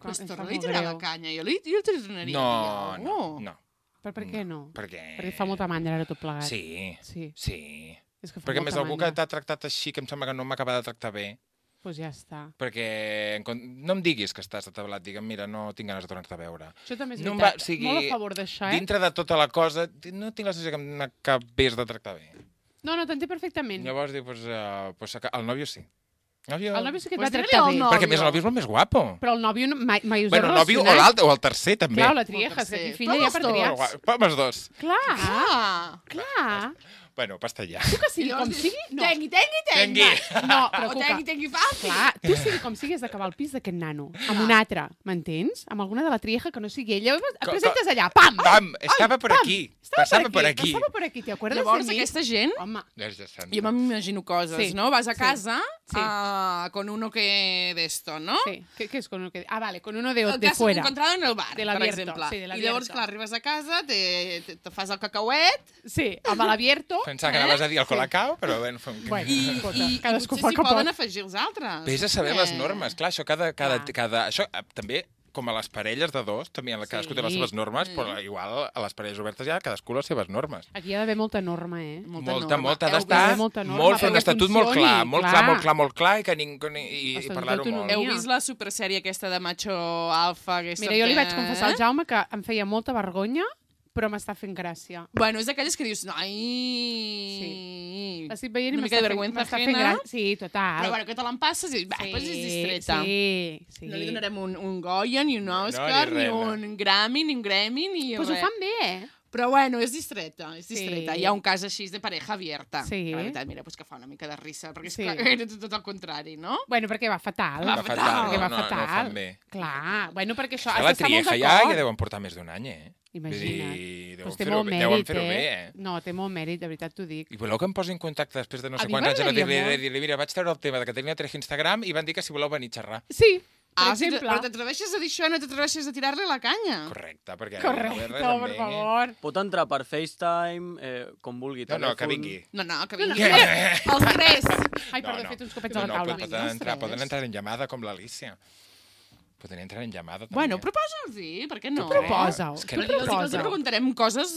Pues torna-li a tirar la canya. Jo li tornaria. No. Per què no? Perquè fa molta mandra ara tot plegat. Sí. És que fa Perquè molta més algú mandra. que t'ha tractat així, que em sembla que no m'acaba de tractar bé, Pues ja està. perquè no em diguis que estàs atablat, digue'm, mira, no tinc ganes de tornar-te a veure. Això també és No em veritat. va- o sigui, Molt a favor d'això, Dintre de tota la cosa, no tinc la sensació que m'acabés de tractar bé. No, t'entenc perfectament. Llavors dic, el nòvio sí. El nòvio sí que et Pues va tractar dile-li bé. al Perquè a més el nòvio és el més guapo. Però el nòvio mai us Bueno, el nòvio o l'altre, o el tercer, també. Clar, la trieja, és que aquí filla ja per triar. Però els dos. Clar. Bueno, basta ja. Tu que sigui com sigui... No. Tengui. No, però O Cuca, tengui fàcil. clar, tu sigui com sigui has d'acabar al pis d'aquest nano. Amb un altre, m'entens? Amb alguna de la trieja que no sigui ella. Et presentes allà, pam! Pam, estava per aquí. Passava per aquí. Passava per aquí, ¿te acuerdas Llavors, de mi? aquesta gent, Home, jo m'imagino coses, Sí. no? Vas a casa Sí. con uno que de esto, ¿no? sí. ¿Qué es con uno que...? Ah, vale, con uno de El de cas fuera. encontrado en el bar, De per l'abierto, exemple. sí, de I l'abierto. llavors, clar, arribes a casa, te fas el cacauet, Sí, amb l'abierto. Pensava que anaves a dir el colacao, però bueno... Bueno, escolta, i cadascú potser fa s'hi que pot. poden afegir els altres. Vés a saber les normes. Clar, això Clar. això també, com a les parelles de dos, també cadascú té les seves normes, però igual a les parelles obertes ja cadascú les seves normes. Aquí hi ha d'haver molta norma, eh? Molta, norma. ha Heu d'estar vist molta norma molt, fer un perquè estatut molt funcioni, clar, molt clar, i que ningú... I Estatut parlar-ho molt. d'autonomia. Heu vist la supersèrie aquesta de macho alfa? Mira, jo li vaig confessar al Jaume que em feia molta vergonya, però m'està fent gràcia. Bueno, és d'aquelles que dius, ai... L'estic veient i Una mica de vergüenza m'està fent ajena. gràcia. Sí, total. Però bueno, que te l'empasses i va, pues és distreta. Sí. No li donarem un Goya, ni un Oscar, ni ni res, un Grammy, ni un Grammy, ni Pues ho res. fan bé, eh? Però bueno, és distreta, és distreta. Sí. Hi ha un cas així de pareja abierta. Sí. Que la veritat, mira, pues que fa una mica de risa, perquè és Sí. clar, era tot el contrari, no? Bueno, perquè va fatal. Va fatal. Perquè va no ho fatal. fan bé. Clar, bueno, perquè això A has la d'estar molt trieja d'acord. ja deuen portar més d'un any, eh? Imagina't. Vull dir, Pues deuen té molt fer-ho mèrit, bé, eh? No, té molt mèrit, de veritat t'ho dic. I voleu que em posi en contacte després de no A sé mi quants anys a m'agradaria dir-li, mira, vaig treure el tema de que tenia Treja Instagram i van dir que si voleu venir a xerrar. Sí, per Ah, exemple. però t'atreveixes a dir això i no t'atreveixes a tirar-li la canya. Correcte, perquè... Correcte, per favor. Pot entrar per FaceTime, com vulgui. No, que telèfon. vingui. No, que vingui. Els tres. Ai, perdó, he fet uns copets a la No, taula. poden entrar en llamada com l'Alicia. Poden entrar en llamada, també. Bueno, proposa'ls-hi, per què no? Proposa-ho. És que Tu no- Els proposa. preguntarem coses...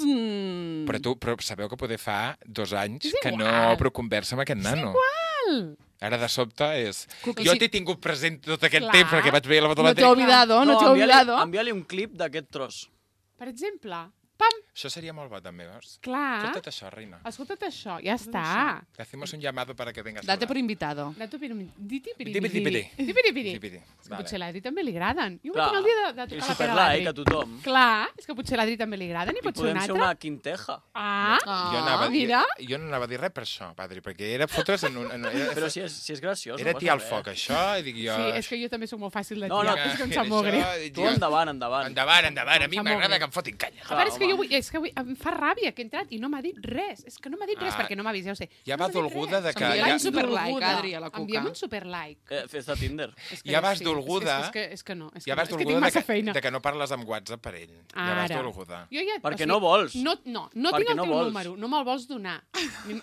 Però sabeu que poder fa 2 anys És que igual. no obro conversa amb aquest nano. Igual. Ara de sobte és... Cuqui, Jo sí. t'he tingut present tot aquest Clar. temps perquè vaig veure la No t'he fotometria. olvidado, no t'he olvidado. Envia-li un clip d'aquest tros. Per exemple, pam. Això seria molt bo, també, veus? Clar. Escolta't això, reina. Escolta't això, ja està. Le hacemos un llamado para que vengas. Date por invitado. Diti-piri-piri. És que potser a l'Adri també li agraden. Jo vull Clar. tenir el dia de I tocar la pera a super-like a l'Adri. tothom. Clar, és que potser a l'Adri també li agraden i I pot ser un podem fer altre. una quinteja. Ah, Jo no anava a dir res per això, padre, perquè era fotre's en un... Però si és graciós. Era no tirar passa el foc, res. això, i dic jo... sí, és que jo també sóc molt fàcil de No, tirar. no, És que em sap molt greu. Tu endavant. Endavant. A mi Em sap molt m'agrada greu. que em fotin canya. A veure, és que home. jo vull, és que avui em fa ràbia que he entrat i no m'ha dit res. És que no m'ha dit res, Ah, perquè no m'ha vist, ja ho sé. ja no vas m'ha dit dolguda res. de que- Enviem ja- un superlike, Adri, a la Cuca. Envia'm un superlike. Festa Tinder. És que Ja vas sí, dolguda. És que no. És Ja que vas no, és que tinc dolguda massa feina. de que no parles amb WhatsApp per ell. Ja vas Ara. dolguda. Jo ja, Perquè no vols. No Perquè tinc el no teu vols. número, no me'l vols donar.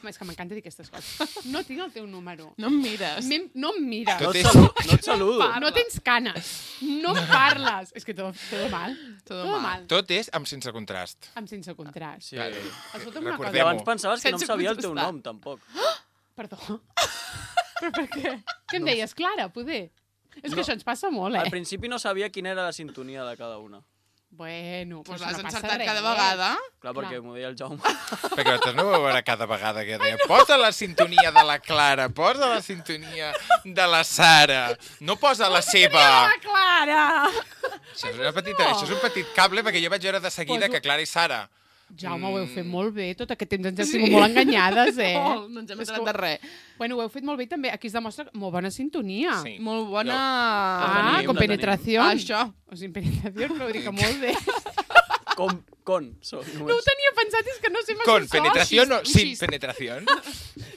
És que m'encanta dir aquestes coses. No tinc el teu número. No em mires. No em mires. No Tot et és- no et saludo. No tens canes. No em parles. És que todo mal. Todo mal. Tot és amb sense contrast. Amb sense contrast. Sí. Escolta'm una I Recordem-ho. cosa. abans pensaves que no em Sense sabia el teu contestar. nom, tampoc. Perdó. Però per què? Què em deies, Clara, poder? És que això ens passa molt, Al eh? principi no sabia quina era la sintonia de cada una. Bueno, Pues però l'has no passa encertat res. cada vegada. Clar, Clar. perquè m'ho deia el Jaume. Perquè nosaltres no ho veurà cada vegada que deia posa la sintonia de la Clara, posa la sintonia de la Sara, no posa la seva. La Clara! Això és un petit cable perquè jo vaig veure de seguida Poso- que Clara i Sara... Jaume, ho heu fet molt bé. Tot aquest temps ens heu sigut molt enganyades, eh? Molt, no ens hem És enterat que- de res. Bueno, ho heu fet molt bé també. Aquí es demostra molt bona sintonia. Sí. Molt bona... Ah, tenim, con la tenim. penetració. Això. O sin penetració, però ho dic que molt bé. Con, són No ho només. tenia pensat, és que no sé Con massa penetración o un sin xist. penetración.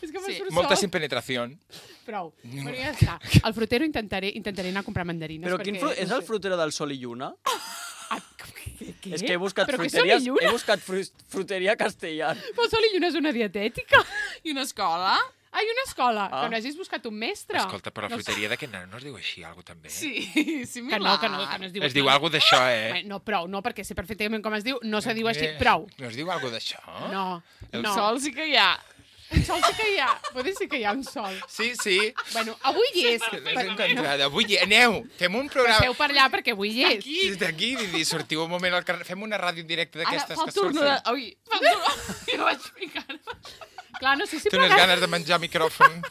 És que me Sí. surt Molta sol. sin penetración. Prou. Bueno, ja està. Al frutero intentaré anar a comprar mandarines. Però perquè, és el frutero del Sol i Lluna? Ah, què? És que he buscat Però què fruteries, Sol i Lluna? he buscat fruteria castellà. Però Sol i Lluna és una dietètica. I una escola? Ai, una escola. Ah. Que no hagis buscat un mestre. Escolta, però la No sé. fruiteria d'aquest nen no es diu així, algo també? Sí, Que similar. no es diu Es diu algo d'això, Bé, no, prou, no, perquè sé perfectament com es diu, no se diu així, Eh, prou. No es diu algo d'això? No, El no. Sol sí que hi ha. Un sol sí que hi ha. Poder sí que hi ha un sol. Sí, sí. Bueno, avui hi és. L'has encontrat. Avui aneu, fem un programa... Passeu per allà perquè avui hi és. Aquí. Des d'aquí, i sortiu un moment al carrer, fem una ràdio en directe Ara d'aquestes fa que el turno surten. de... Ui, fa el turno... Jo vaig ficar. Clar, no sé si Té unes plegar... ganes de menjar micròfon.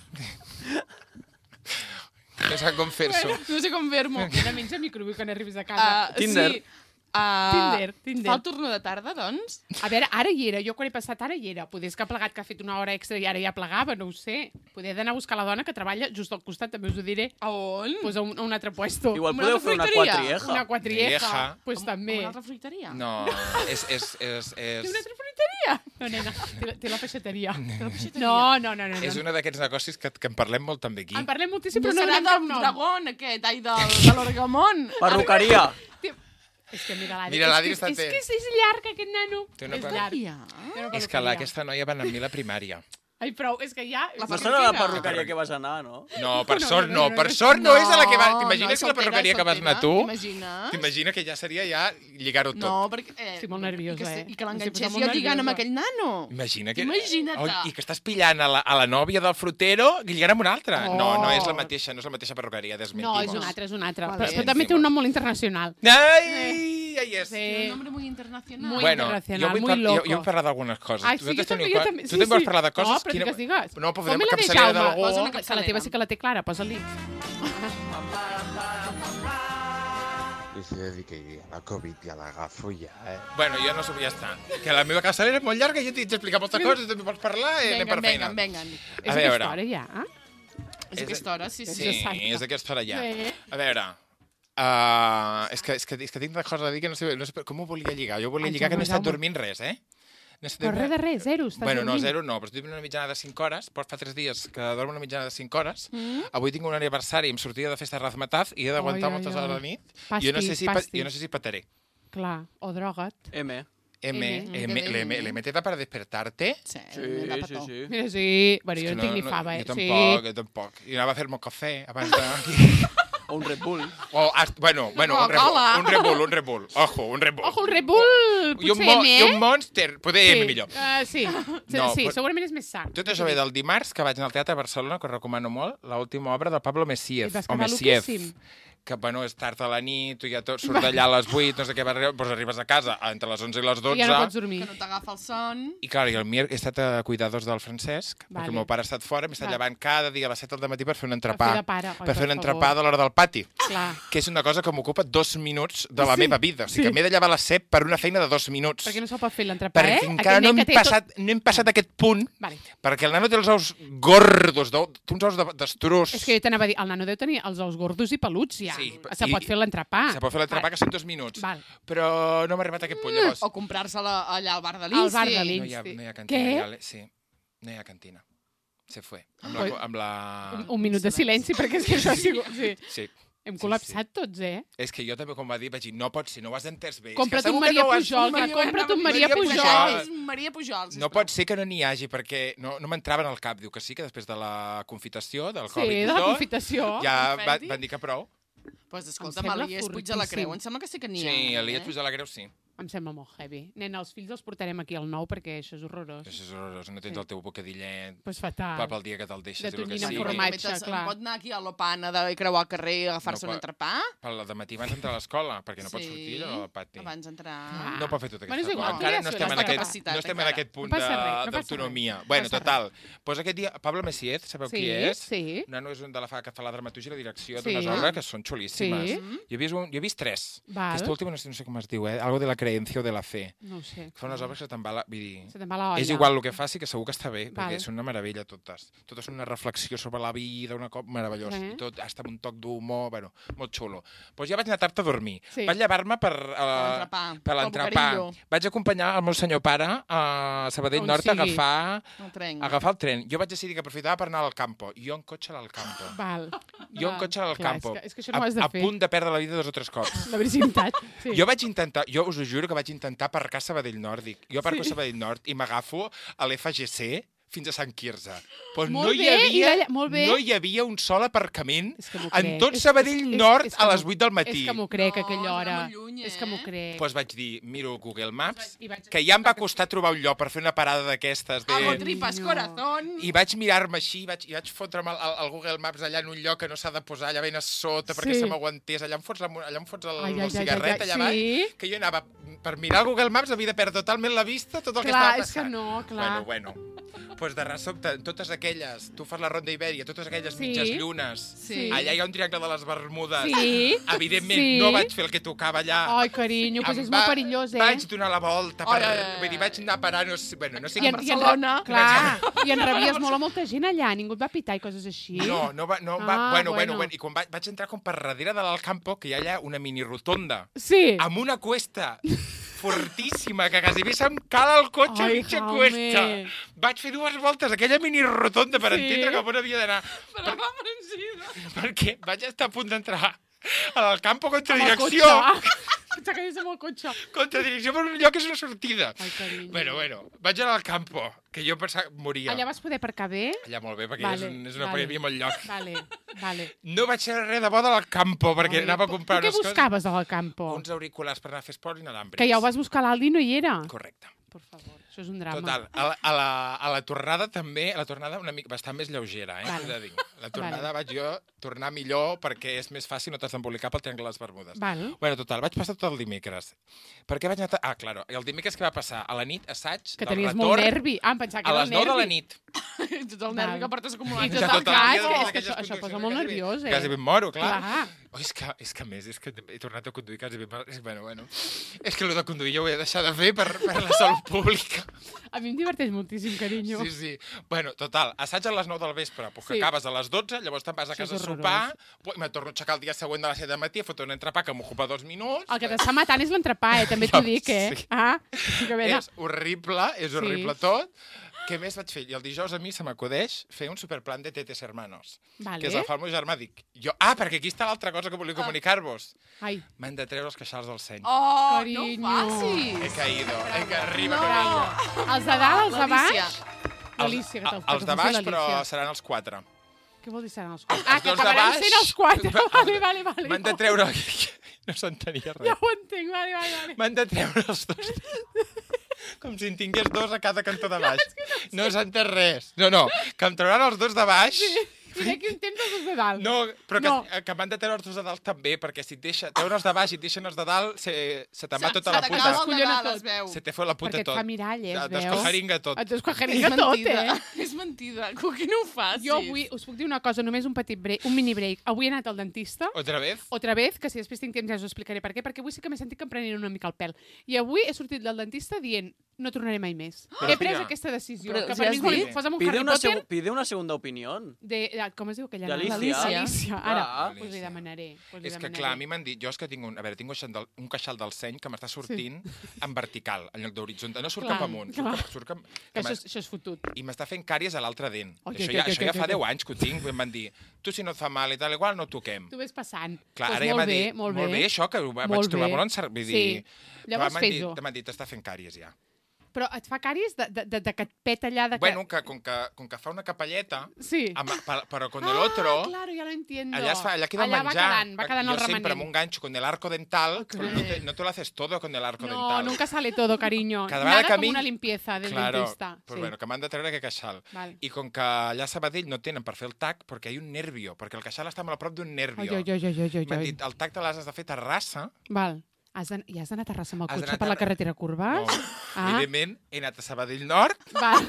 No sap com fer-s'ho. No sé com fer-m'ho. Ara menja microbi quan arribis a casa. Tinder. Sí. Tinder. Fa el turno de tarda, doncs? A veure, ara hi era. Jo quan he passat ara hi era. Poder és que ha plegat, que ha fet una hora extra i ara ja plegava, no ho sé. Poder d'anar a buscar la dona que treballa just al costat, també us ho diré. A on? Pues a un altre puesto. Igual Una podeu altra fer una fruiteria? quatrieja. Una quatrieja. Quatrieja. Pues també. Una altra fruiteria? No, és... Té una altra fruiteria? No, nena, té la peixateria. No. És un d'aquests negocis que en parlem molt també aquí. En parlem moltíssim, No però no serà donem cap del nom. dragón, aquest, ai, de l'Orgamont. Perruqueria. És que mira l'Adri. Mira, l'Adri és està que atent. és llarg, aquest nano. Té una És cosa- llarg. Ja. Té una És que peluqueria. aquesta noia va anar amb mi a la primària. Ai, prou, és que ja... La No perruquera. serà la perruqueria que vas anar, no? No, per No, sort no, no, no, per no. sort no és a la que va... T'imagines és que la perruqueria que vas anar tu? T'imagines? T'imagines que ja seria ja lligar-ho tot. No, perquè... Estic molt nerviosa, I que eh? que l'enganxés Estic molt jo lligant amb nerviosa. aquell nano. Imagina que... Imagina't. Oh, I que estàs pillant a la nòvia del frutero lligant amb una altra. Oh. No és la mateixa perruqueria, No, desmentimos. és un altre. Vale. Però també té un nom molt internacional. Ai, ai, és. Tiene un nombre muy internacional. Muy Bueno, internacional, jo muy loco. vull parlar d'algunes coses. Ai, sí, jo Vosaltres també, teniu jo també. Tu també vols parlar de coses? No, però que digues. No, podem Fem-me la de capçalera Jaume. d'algú. Posa una Que la capçalera. teva sí que la té clara, posa-li. I si he de dir que la Covid ja l'agafo ja, Bueno, jo no sé, ja està. Que la meva capçalera és molt llarga i jo t'he d'explicar moltes coses, també pots parlar i anem per feina. Venga. És veure. aquesta hora ja. És aquesta hora, sí. Sí, exacte. és aquesta hora ja. Bé. A veure... és que tinc una cosa a dir que no sé com ho volia lligar. Jo volia Ai, lligar que no he Jaume, estat dormint res, eh? No he estat Però res de res, zero, estàs Bueno, no, dormint. zero no, però estic dormint una mitjana de 5 hores, però fa 3 dies que dormo una mitjana de 5 hores. Avui tinc un aniversari, em sortia de festa de Razmataz i he d'aguantar Ai, ai, moltes ai. hores a la nit. Pastis, Jo no sé si pataré. Clar, o droga't. M. ¿Le meteta para despertarte? Sí, Sí. Mira, sí. Bueno, És jo que no tinc ni fava, eh? Jo Sí. tampoc. I anava a fer-me un cafè abans de... O un Red Bull. Bueno, Coca-Cola. un Red Bull. Ojo, un Red Bull. Ojo, el Red Bull, I un, potser M, I eh? un Monster, poder M millor. Sí, No, sí, però- segurament és més sa. Tot això ve del dimarts, que vaig anar al Teatre de Barcelona, que us recomano molt, l'última obra del Pablo I Messiev. vas O quedar Messiev. loquíssim. que, bueno, és tard a la nit, tu ja tot surt d'allà a les 8, no sé què, doncs arribes a casa entre les 11 i les 12. Ja no pots dormir. Que no t'agafa el son. I, clar, i el he estat a cuidadors del Francesc, perquè el meu pare ha estat fora, m'he estat llevant cada dia a les 7 del matí per fer un entrepà. Per fer un entrepà de l'hora del pati. Clar. Que és una cosa que m'ocupa 2 minuts de la meva vida. O sigui, que m'he de llevar a les 7 per una feina de 2 minuts. Perquè no se'l pot fer l'entrepà, perquè encara no hem passat aquest punt, perquè el nano té els ous gordos, té uns ous d'estruç. És que jo t'anava a dir, el nano deu tenir els ous gordos i peluts, ja. Se pot fer l'entrepà. Se pot fer l'entrepà, que són 2 minuts. Però no m'ha arribat a aquest punt, llavors. O comprar-se-la allà al bar de l'Insti. Al bar de l'Insti. No hi ha cantina. Sí, no hi ha cantina. Se fue. Un minut de silenci, perquè és que això ha sigut... Sí. Hem col·lapsat tots, És que jo també, com va dir, vaig dir, no pot ser, no ho has entès bé. Compra't un Maria Pujol, compra't un Maria Pujol. Maria Pujol, no pot ser que no n'hi hagi, perquè no m'entraven al cap. Diu que sí, que després de la confitació, del Covid i tot... Sí, de la confitació. Ja van dir que prou. Doncs escolta'm, l'Elies Puig de la Creu, em sembla que sí que n'hi ha. Sí, l'Elies Puig de la Creu, sí. Em sembla molt heavy. Nen, els fills els portarem aquí al nou perquè això és horrorós. Això és horrorós. No tens el teu bocadillet fatal. Pel dia que te'l deixes. De tonyina amb formatge, clar. Pot anar aquí a l'Opana de creuar el carrer i agafar-se un entrepà? Pel dematí abans d'entrar a l'escola, perquè no pots sortir allò al pati. Abans d'entrar... No pot fer tot aquesta cosa. Encara no estem en aquest punt d'autonomia. Bueno, total. Doncs aquest dia, Pablo Messiez, sabeu qui és? Sí. Un nano és de la fa que fa la dramaturgia i la direcció d'unes obres que són xulíssimes. Jo he vist 3. Aquesta última no sé com es diu, algo de la creencia o de la fe. No ho sé. Fa unes obres que se'n va la... Vull dir, se te'n va la olla. És igual el que faci, que segur que està bé, perquè són una meravella totes. Totes són una reflexió sobre la vida, una cop meravellós. I tot, hasta amb un toc d'humor, bueno, molt xulo. Doncs ja vaig anar tard a dormir. Vaig llevar-me per l'entrepà. Vaig acompanyar el meu senyor pare a Sabadell Nord a agafar el tren. Jo vaig decidir que aprofitava per anar al campo. Jo en cotxe al campo. Jo en cotxe al campo. És que això no ho has de fer. A punt de perdre la vida 2 o 3 cops. La virginitat. Jo vaig intentar, jo us ho juro que vaig intentar aparcar a Sabadell Nord. Jo aparco a Sabadell Nord i m'agafo a l'FGC fins a Sant Quirze. Però no hi havia un sol aparcament en tot Sabadell Nord a les 8 del matí. És que m'ho crec, a aquella hora. És que m'ho crec. Doncs vaig dir, miro Google Maps, que ja em va costar trobar un lloc per fer una parada d'aquestes. Amo tripas corazón. I vaig mirar-me així, i vaig fotre'm el Google Maps allà en un lloc que no s'ha de posar, allà ben a sota, perquè se m'aguantés. Allà em fots el cigarret, allà baix, que jo anava per mirar el Google Maps, havia de perdre totalment la vista, tot el que estava passant. Clar, és que no, clar. Bueno. Doncs de sobte, totes aquelles, tu fas la Ronda Ibèria, totes aquelles mitges llunes, allà hi ha un triangle de les Bermudes. Evidentment, no vaig fer el que tocava allà. Ai, carinyo, doncs és molt perillós, Vaig donar la volta, vull dir, vaig anar a parar, no sé a Barcelona. Clar, i en rebies molt a molta gent allà, ningú et va pitar i coses així. No va, bueno, i quan vaig entrar com per darrere de l'Alcampo, que hi ha allà una mini rotonda, amb una cuesta fortíssima, que quasi bé se'm cala el cotxe a mitja cuesta. Vaig fer 2 voltes a aquella mini rotonda per entendre cap on havia d'anar. Perquè vaig estar a punt d'entrar a l'Alcampo contra direcció. T'acabies amb el cotxe. Contra direcció per un lloc que és una sortida. Bueno, vaig anar al campo, que jo pensava que moria. Allà vas poder aparcar bé? Allà molt bé, perquè és una hi havia molt lloc. Vale. No vaig fer res de bo de l'Alcampo, perquè anava a comprar unes coses. Què buscaves a l'Alcampo? Uns auriculars per anar a fer esport inalàmbrics. Que ja ho vas buscar a l'Aldi i no hi era? Correcte. Per favor, això és un drama. Total, a la tornada també, una mica bastant més lleugera, he de dir. La tornada vaig jo tornar millor perquè és més fàcil, no t'has d'embolicar pel triangle de les Bermudes. Bueno, total, vaig passar tot el dimecres. Per què vaig anar... Claro, el dimecres que va passar? A la nit, assaig del retorn... Que tenies molt nervi. Em pensava que era el nervi. A les 9 de la nit. Tot el nervi que portes acumulat. I tot el cas, això posa molt nerviós, Quasi ben moro, clar. És que a més, he tornat a conduir quasi ben... Bueno, és que el de conduir jo ho he de deixar de fer per la salut pública. A mi em diverteix moltíssim, carinyo. Sí. Bueno, total, assaig a les 9 del vespre, que acabes a les 12, llavors te'n vas a casa a sopar, i me torno a aixecar el dia següent de les 7 del matí, a fotre un entrepà que m'ocupa 2 minuts. El que t'està matant és l'entrepà, també t'ho dic, És horrible tot. Què més vaig fer? I el dijous a mi se m'acudeix fer un superplan de Tetes Hermanos, que és el fa el meu germà. Dic, perquè aquí està l'altra cosa que volia comunicar-vos. M'han de treure els queixals del seny. Carinyo. No ho facis. He caído, arriba per ella. Els de dalt, els de baix? L'Alícia. Els de baix, però seran els 4. Què vol dir seran els 4? Que acabaran sent els 4. Vale. M'han de treure... No s'entenia res. Ja ho entenc, vale. M'han de treure els 2. Com si en tingués 2 a cada cantó de baix. No s'entén res. No, que em trauran els 2 de baix I d'aquí un temps els de dalt. No, però No. que m'han de treure els dos de dalt també, perquè si et treuen els de baix i et deixen els de dalt, se te'n va tota la puta. S'acaba el de Collona dalt, tot. es veu. Se te fot la puta Perquè et tot. fa miralles, Et veus? descojaringa tot. Et descojaringa tot, És mentida. Que no ho facis. Jo avui us puc dir una cosa, només un petit break, un mini break. Avui he anat al dentista, Otra vez? otra vez, que si després tinc temps ja us ho explicaré per què, perquè avui sí que m'he sentit que em prenien una mica el pèl. I avui he sortit del dentista dient no tornaré mai més. Però, He pres tia, aquesta decisió, però que si per has mi és molt dit- important. Posa'm un Harry Potter Pide una segunda opinión. com es diu aquella? D'Alícia. Alicia. Ara, Ah. pues li demanaré. Pues li És que, demanaré. clar, a mi m'han dit... Jo és que tinc un queixal del seny que m'està sortint en vertical, en lloc d'horitzontal. No surt Clar, cap amunt. clar. Surt cap... Que això és fotut. I m'està fent càries a l'altre dent. Oi, Això oi, ja, oi, això oi, ja fa oi. 10 anys que ho tinc. Em van dir, tu si no et fa mal i tal, igual no toquem. Tu ves passant. Clar, Pues ara ja molt m'ha bé, dit, molt bé això, que ho vaig Molt trobar bé. molt encert. Vull Sí. dir, Llavors m'han dit- fes-ho. M'han dit, t'està fent càries ja. Però et fa càries de que et peta allà de que... Bueno, com que fa una capelleta, Sí. però con el otro... claro, ya lo entiendo. Allà queda el allà menjar. va quedant el Yo siempre remanent. me engancho con el arco dental, Ok. pero no te lo haces todo con el arco No, dental. nunca sale todo, cariño. Cada vegada Nada que a como mi- una limpieza del Claro, dentista. pues Sí. bueno, que m'han de treure aquest queixal. Val. I com que allà a Sabadell no tenen per fer el tac, perquè hi ha un nervio, perquè el queixal està molt a prop d'un Oi, nervio. oi, oi, oi, oi, M'han oi. dit, el tac te l'has de fer a Terrassa. Val. I has d'anar a Terrassa amb el Has cotxe d'anar per la a carretera Curvas? No, Ah. evidentment, he anat a Sabadell Nord. Val.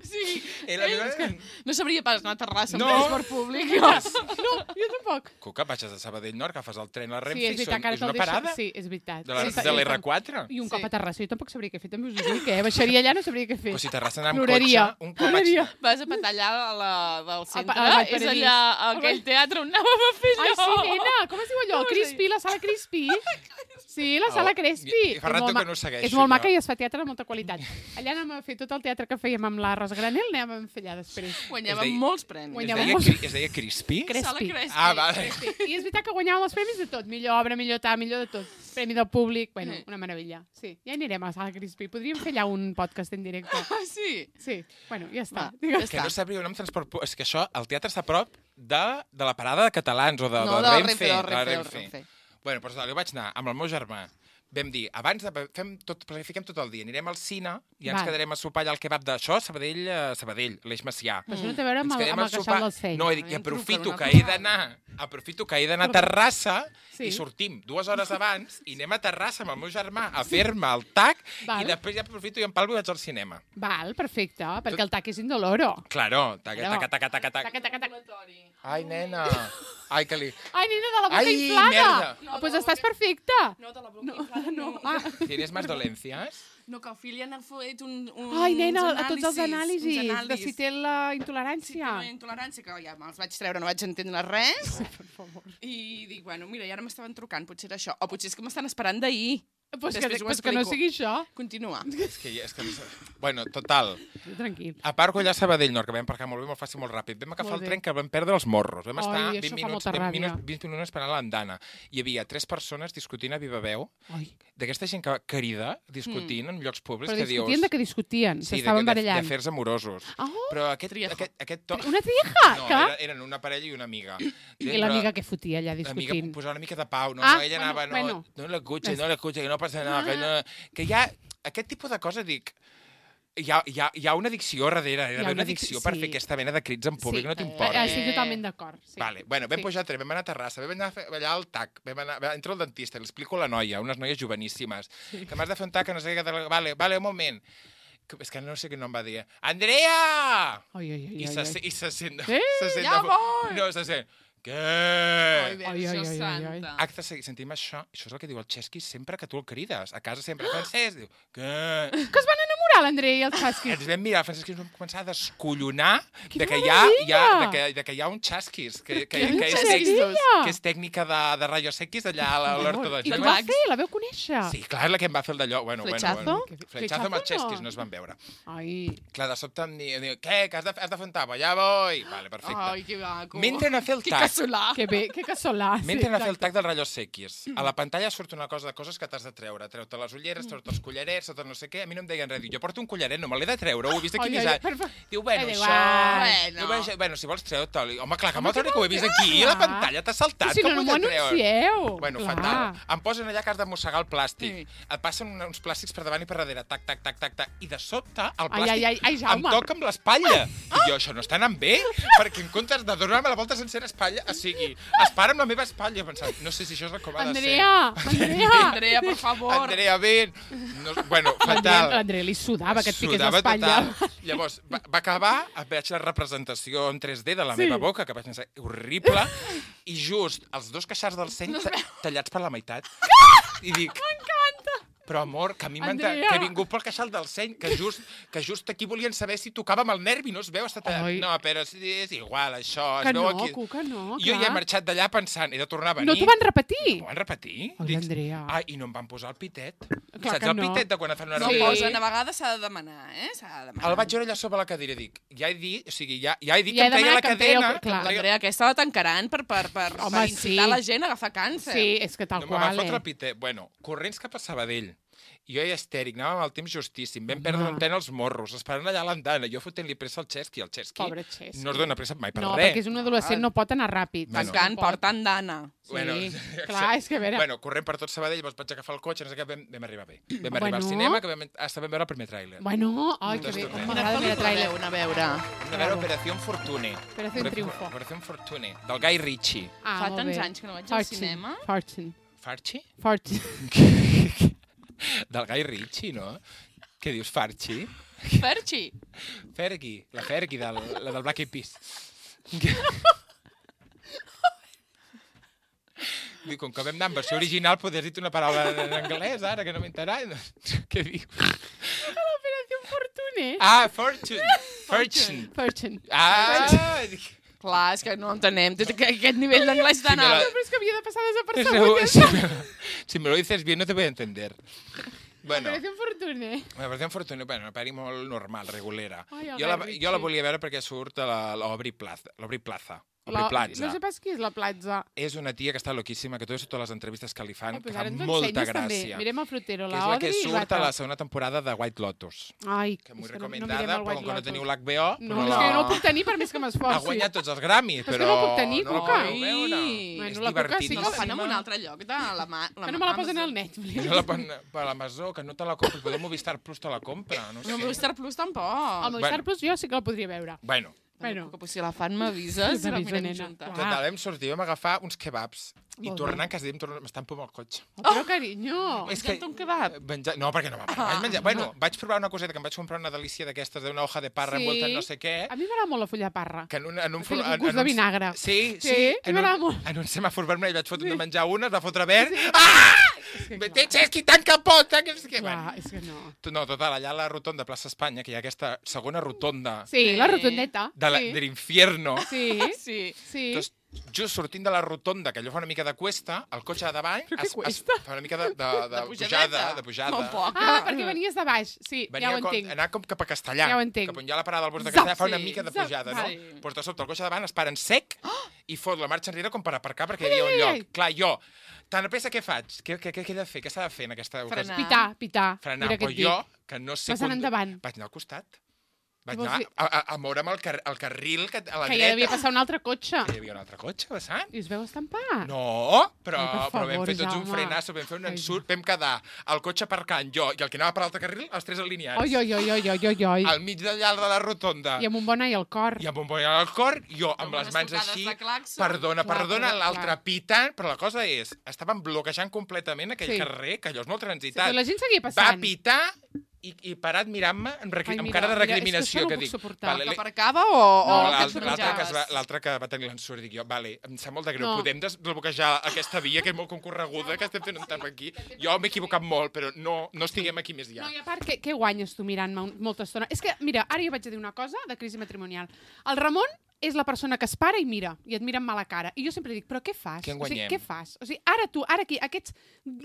Sí. I la meva... No sabria pas anar a Terrassa amb No. transport públic. No, jo tampoc. Cuca, vaig a Sabadell Nord, agafes el tren a la Sí, Renfe és i veritat, que ara és una te'l deixo- parada Sí, és veritat. de Sí, de l'R4. I un cop Sí. a Terrassa, jo tampoc sabria què fer, també us ho dic, Baixaria allà, no sabria què fer. Però si Terrassa anar amb Ploraria. cotxe, un cop vaig... Ploraria. Vas a petar allà a la del centre. al Vall És Paradís. allà, aquell teatre on anàvem a fer Ai, allò. sí, nena, com es diu allò? Com es Crispy, la sala Crispy? Sí, la sala Oh, Crispy. i fa rato que no ho segueixo, És molt jo. maca i es fa teatre de molta qualitat. Allà anem a fer tot el teatre que fèiem amb la Ros Granel, anem a fer allà després. Guanyàvem Es deia- molts premis. Guanyàvem Es deia Crispy? Sala Crespi. Crespi. Ah, vale. Sí, i és veritat que guanyàvem els premis de tot. Millor obra, millor tal, millor de tot. Premi del públic, bueno, una meravella. Sí, ja anirem a la sala Crispy. Podríem fer allà un podcast en directe. Ah, sí? Sí, bueno, ja està. Va, Digues. Que no sabria un nom transport públic. És que això, el teatre està a prop de la parada de catalans o de No, de del Renfe. Renfe, del de Renfe, del Renfe. Bueno, doncs jo vaig anar amb el meu germà. Vam dir, abans de... planifiquem tot el dia. Anirem al cine i ens Val. quedarem a sopar allà al kebab d'això, Sabadell, l'Eix Macià. Però això no té a veure amb Ens el, quedem amb a el queixal sopar. del seny. No, he dit, i Em truca aprofito d'una que he cosa. d'anar a Terrassa Sí. i sortim 2 hores abans i anem a Terrassa amb el meu germà a fer-me el tac Val. i després ja aprofito i em palvo i vaig al cinema. Val, perfecte, perquè el tac és indoloro. Claro, tac, Claro. tac, tac, tac, tac. Taca, taca, taca. Ai, nena. Ai, que li... Ai, nena, de la boca Ai, inflada. merda. Doncs pues estàs perfecta. No, de la boca inflada, no. Ah. ¿Tienes más dolencias? No, que el fill ja n'ha fet Ai, nena, uns a tots els anàlisis, uns de anàlisis. si té la Sí, intolerància. té una intolerància, que ja me'ls vaig treure, no vaig entendre res. Per favor. I dic, bueno, mira, i ara m'estaven trucant, potser era això. O potser és que m'estan esperant d'ahir. Pues Després ho que no explico. sigui això. Continua. És que no sé. Bueno, total. Tranquil. Aparco allà a Sabadell Nord, que vam aparcar molt bé, molt fàcil, molt ràpid. Vam agafar Molt el bé. tren que vam perdre els morros. Vam Ai, estar això 20 fa minuts, molta ràbia. 20 minuts esperant l'andana. Hi havia 3 persones discutint a viva veu, Ai. d'aquesta gent que crida, discutint en llocs públics, Però que discutien dius... de què discutien, Sí, s'estaven d'afers barallant. amorosos. Oh, Però aquest Triejo. to... una trieja, No, clar. eren una parella i una amiga. I l'amiga que fotia allà L'amiga discutint. posava una mica de pau, no? Ah, No, ella bueno, anava, bueno. no l'escucha, que no passa nada, que hi ha aquest tipus de coses, dic, hi ha una addicció darrere, Hi ha una una addicció addic- per sí. fer aquesta mena de crits en públic, Sí. no t'importa. Estic totalment d'acord. Sí. Vale, bueno, vam Sí. pujar a tren, vam anar a Terrassa, vam anar a fer allà al TAC, entra el dentista, li explico a la noia, unes noies joveníssimes, que m'has de fer un TAC, que no sé què, vale, un moment. És que no sé què nom va dir. Andrea! Ai, ai, ai, I ai, se, ai. i se sent... Eh? se sent Ja voy! No, se sent... Què? Ai, Ai, ai, ai, ai, ai. santa. Acte seguit, sentim això és el que diu el Chesky sempre que tu el crides. A casa sempre, Francesc, diu, què? Que es van enamorar l'Andrei i el Chasquis. Ens vam mirar, Francesc, i ens vam començar a descollonar Quina de que hi ha un Chasquis, que és tècnica de rayos X allà a l'Horto de I Gil. què va fer? La veu conèixer? Sí, clar, és la que em va fer el d'allò. Bueno, Fletxazo? Fletxazo amb el Fletxazo Chesquis no. no es van veure. Ai, Clar, de sobte em diu, què, que has de fer un tapa? Ja voy. Vale, perfecte. Ai, que maco. M'entren a fer el Que tac. casolà. que bé, que casolà. M'entren a fer el tac dels ratllos X. A la pantalla surt una cosa de coses que t'has de treure. Treu-te les ulleres, treu-te els collarets, treu-te no sé què. A mi no em deien res. Diu, jo porto un collaret, no me l'he de treure, ho he vist aquí Ai, visat. Diu, bueno, Ai, això... Bueno, si vols treu-te'l. Home, clar, que me'l treuré, que ho he vist aquí, a la pantalla, t'ha saltat. Si no m'ho anuncieu. Bueno, fatal. Em posen allà que has de mossegar el plàstic. Et passen uns plàstics per davant i per darrere, tac, tac, tac, tac, tac. I de sobte, el plàstic em toca amb l'espatlla. I jo, això no està anant bé? Perquè en comptes de donar-me la volta sencera espatlla, o sigui, es para amb la meva espatlla, pensant, no sé si això és com ha de ser. Andrea, por favor. Andrea, ben. No, bueno, fatal. L'Andrea li sudava que et piqués l'espatlla. Llavors, va acabar, veig la representació en 3D de la meva boca, que vaig pensar, horrible, i just els 2 queixars del seny tallats per la meitat. I dic... M'encanta! Però, amor, que a mi que he vingut pel queixal del seny, que just aquí volien saber si tocava amb el nervi, no es veu? No, però és igual, això. Que no, Cuca, no, jo ja he marxat d'allà pensant, he de tornar a venir. No t'ho van repetir? No ho van repetir. Ai, Andrea. Ah, i no em van posar el pitet. Clar Saps el pitet de quan et fan una No reunió? posen, a vegades s'ha de demanar, El vaig veure allà sobre la cadira i dic, ja he dit que em treia la cadena. L'Andrea aquesta la tancaran per incitar la gent a agafar càncer. Sí, és que tal qual, No me va fotre el eh? pitet. Bueno, corrents cap a Sabadell. Jo ja estèric, anàvem amb el temps justíssim, vam perdre un tren als morros, esperant allà a l'andana, jo fotent-li pressa al Chesky, Pobre Chesky. no es dona pressa mai per No, res. perquè és un adolescent, no pot anar ràpid. Tancant, porta andana. Sí, clar, és que a veure... Bueno, corrent per tot Sabadell, llavors vaig agafar el cotxe, no sé què, vam arribar bé. Vam arribar al cinema, que vam veure el primer tràiler. Bueno, ai, que bé, m'agrada mirar tràiler. A veure. Vam veure Operación Fortune. Operación Triunfo. Operación Fortune, del Guy Ritchie. Fa tants anys que no vaig al cinema. Farchi? Farchi. Del Guy Ritchie, no? Què dius, Farchi? Ferchi. Fergie, la Fergie, la del Black Eyed Peas. Dic, com que vam anar en versió original, podries dir una paraula en anglès, ara, que no m'interessa. Què dius? L'Operació Fortune. Ah, Fortune. Clar, és que no entenem. Aquest nivell d'anglès tan alt. Però és que havia de passar desapercebut. Si me lo dices bien, no te voy a entender. Bueno, Operació Fortune. Operació Fortune, bueno, una pel·li molt normal, regulera. Ai, Jo la volia veure perquè surt a l'Obri Plaza. No sé pas qui és la platja. És una tia que està loquíssima, que totes les entrevistes que li fan, que fa ara ens ho molta ensenyes, també. gràcia. Mirem el frutero, Que la és la Audrey que i surt l'altra. a la segona temporada de White Lotus. Ai, Que molt és que recomendada, mirem el però White com no Lotus. teniu l'HBO... No, és que no el puc tenir per més que m'esforci. Ha guanyat tots els Grammys, Però és però... que no puc tenir, no la Cuca. podeu veure. Bueno, És la Cuca sí que No la fan en un altre lloc de la mà. Que no me la posen al Netflix. No la posen per l'Amazó, que no te la compres. Potser Movistar Plus te la compra, no sé. No, Movistar Plus tampoc. El Movistar Plus jo sí que la podria veure. Bueno, Pues si la fan m'avises, la mirem juntes. total, vam sortir, vam agafar uns kebabs. I Molt tornant, quasi m'estan por el cotxe. Però, carinyo... És que... un kebab? No, perquè no vaig menjar. Bueno, vaig provar una coseta, que em vaig comprar una delícia d'aquestes, d'una hoja de parra envolta en no sé què. A mi m'agrada molt la fulla de parra. Que en un Té gust de vinagre. Sí, m'agrada molt. En un semàfor vermell vaig fotre de menjar una, es va fotre verd. Chesky, tanca el pot! Clar, és que no. No, total, allà a la rotonda de Plaça Espanya, que hi ha aquesta segona rotonda Sí, la rotondeta. de l'infierno. Sí, Sí. Entonces, just sortint de la rotonda, que allò fa una mica de cuesta, el cotxe de davant Però què cuesta? fa una mica de pujada. Molt poc. Ah, perquè venies de baix. Sí, ja ho entenc. Anar com cap a Castellà. Ja ho entenc. Cap on hi ha la parada del bus de Castellà, fa una Sí. mica de pujada, no? Vale. Doncs de sobte el cotxe de davant es para en sec i fot la marxa enrere com per aparcar perquè hi havia un lloc. Clar, jo, tan a pressa què faig? Què he de fer? Què s'ha de fer en aquesta ocasió? Pitar. Frenar, Mira què però et dic. jo, que no sé... Vas anar endavant. Vaig anar al costat. Vaig Què vols anar dir? a moure'm el carril a la Que dreta. ja devia passar un altre cotxe. Que hi havia un altre cotxe passant. I us veu estampar? No, però Ai, per vam favor, fer tots un Jaume. frenasso, vam fer un ensurt, vam quedar el cotxe aparcant jo i el que anava per l'altre carril, els tres alineats. Oi. Al mig d'allà de la rotonda. I amb un bon ai al cor. I amb un bon al cor, jo amb Amb les unes mans tocades així, de claxon. perdona, Clar, l'altre clar. pitant, però la cosa és, estaven bloquejant completament aquell Sí. carrer, que allò és molt Sí, transitat. però la gent seguia Va passant. pitar i parat mirant-me amb Ai, cara mira, de mira, recriminació, és que això no que ho puc dic... suportar. Que aparcava o No, que et L'altre que va tenir l'ensurt, dic jo, vale, em sap molt de greu, No. podem desbloquejar aquesta via, que és molt concorreguda, que estem fent un tap aquí. Jo m'he equivocat molt, però no estiguem aquí més ja. No, i a part, què guanyes tu mirant-me molta estona? És que, mira, ara jo vaig a dir una cosa de crisi matrimonial. El Ramon és la persona que es para i mira, i et mira amb mala cara. I jo sempre dic, però què fas? Què en guanyem? O sigui, què fas? O sigui, ara aquí, aquests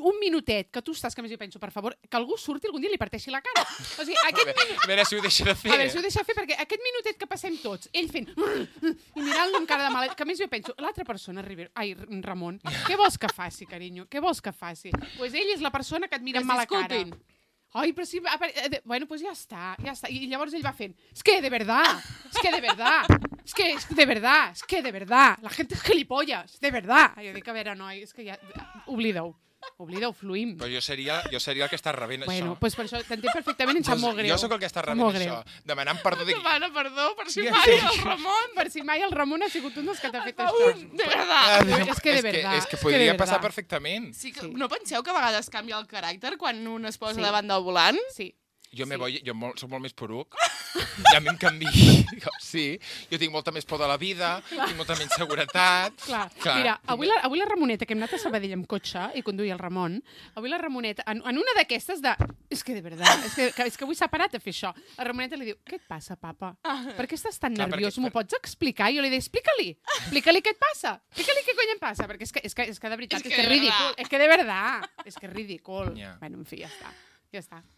un minutet que tu estàs, que més jo penso, per favor, que algú surti algun dia i li parteixi la cara. O sigui, A veure si ho deixa de fer. A veure, si ho deixa fer, perquè aquest minutet que passem tots, ell fent... i mirant-lo amb cara de mala... Que a més jo penso, l'altra persona, Ramon, què vols que faci, carinyo? Què vols que faci? Doncs pues ell és la persona que et mira amb mala cara. Ai, però sí... Bueno, pues ja està. I llavors ell va fent, es que de verdad, de verdad, la gente es gilipollas, de verdad. I jo dic, a veure, noi, és que ja... Oblida-ho, fluïm. Però jo seria el que està rebent bueno, això. Pues per això t'entenc perfectament, em sap molt greu. Jo sóc el que està rebent això. Demanant perdó. Demana perdó per si Sí, mai sí. el Ramon. Per si mai el Ramon ha sigut un dels que t'ha fet això. De verdad. És que de verdad. És que podria passar perfectament. Sí que, Sí. no penseu que a vegades canvia el caràcter quan un es posa Sí. davant del volant? Sí. Jo soc molt més poruc. I a mi em canvi. Sí, jo tinc molta més por de la vida, tinc molta menys seguretat. Clar. Mira, avui la Ramoneta, que hem anat a Sabadell amb cotxe i conduïa el Ramon, avui la Ramoneta, en una d'aquestes de... És que de veritat, és que avui s'ha parat a fer això. La Ramoneta li diu, què et passa, papa? Per què estàs tan Clar, nerviós? perquè- M'ho pots explicar? I jo li dic, explica-li què et passa. Explica-li què cony em passa, perquè és que de veritat, És és que que és de ridícul. verdad. És que de verdad, és que és ridícul. Ja. Bueno, en fi, ja està.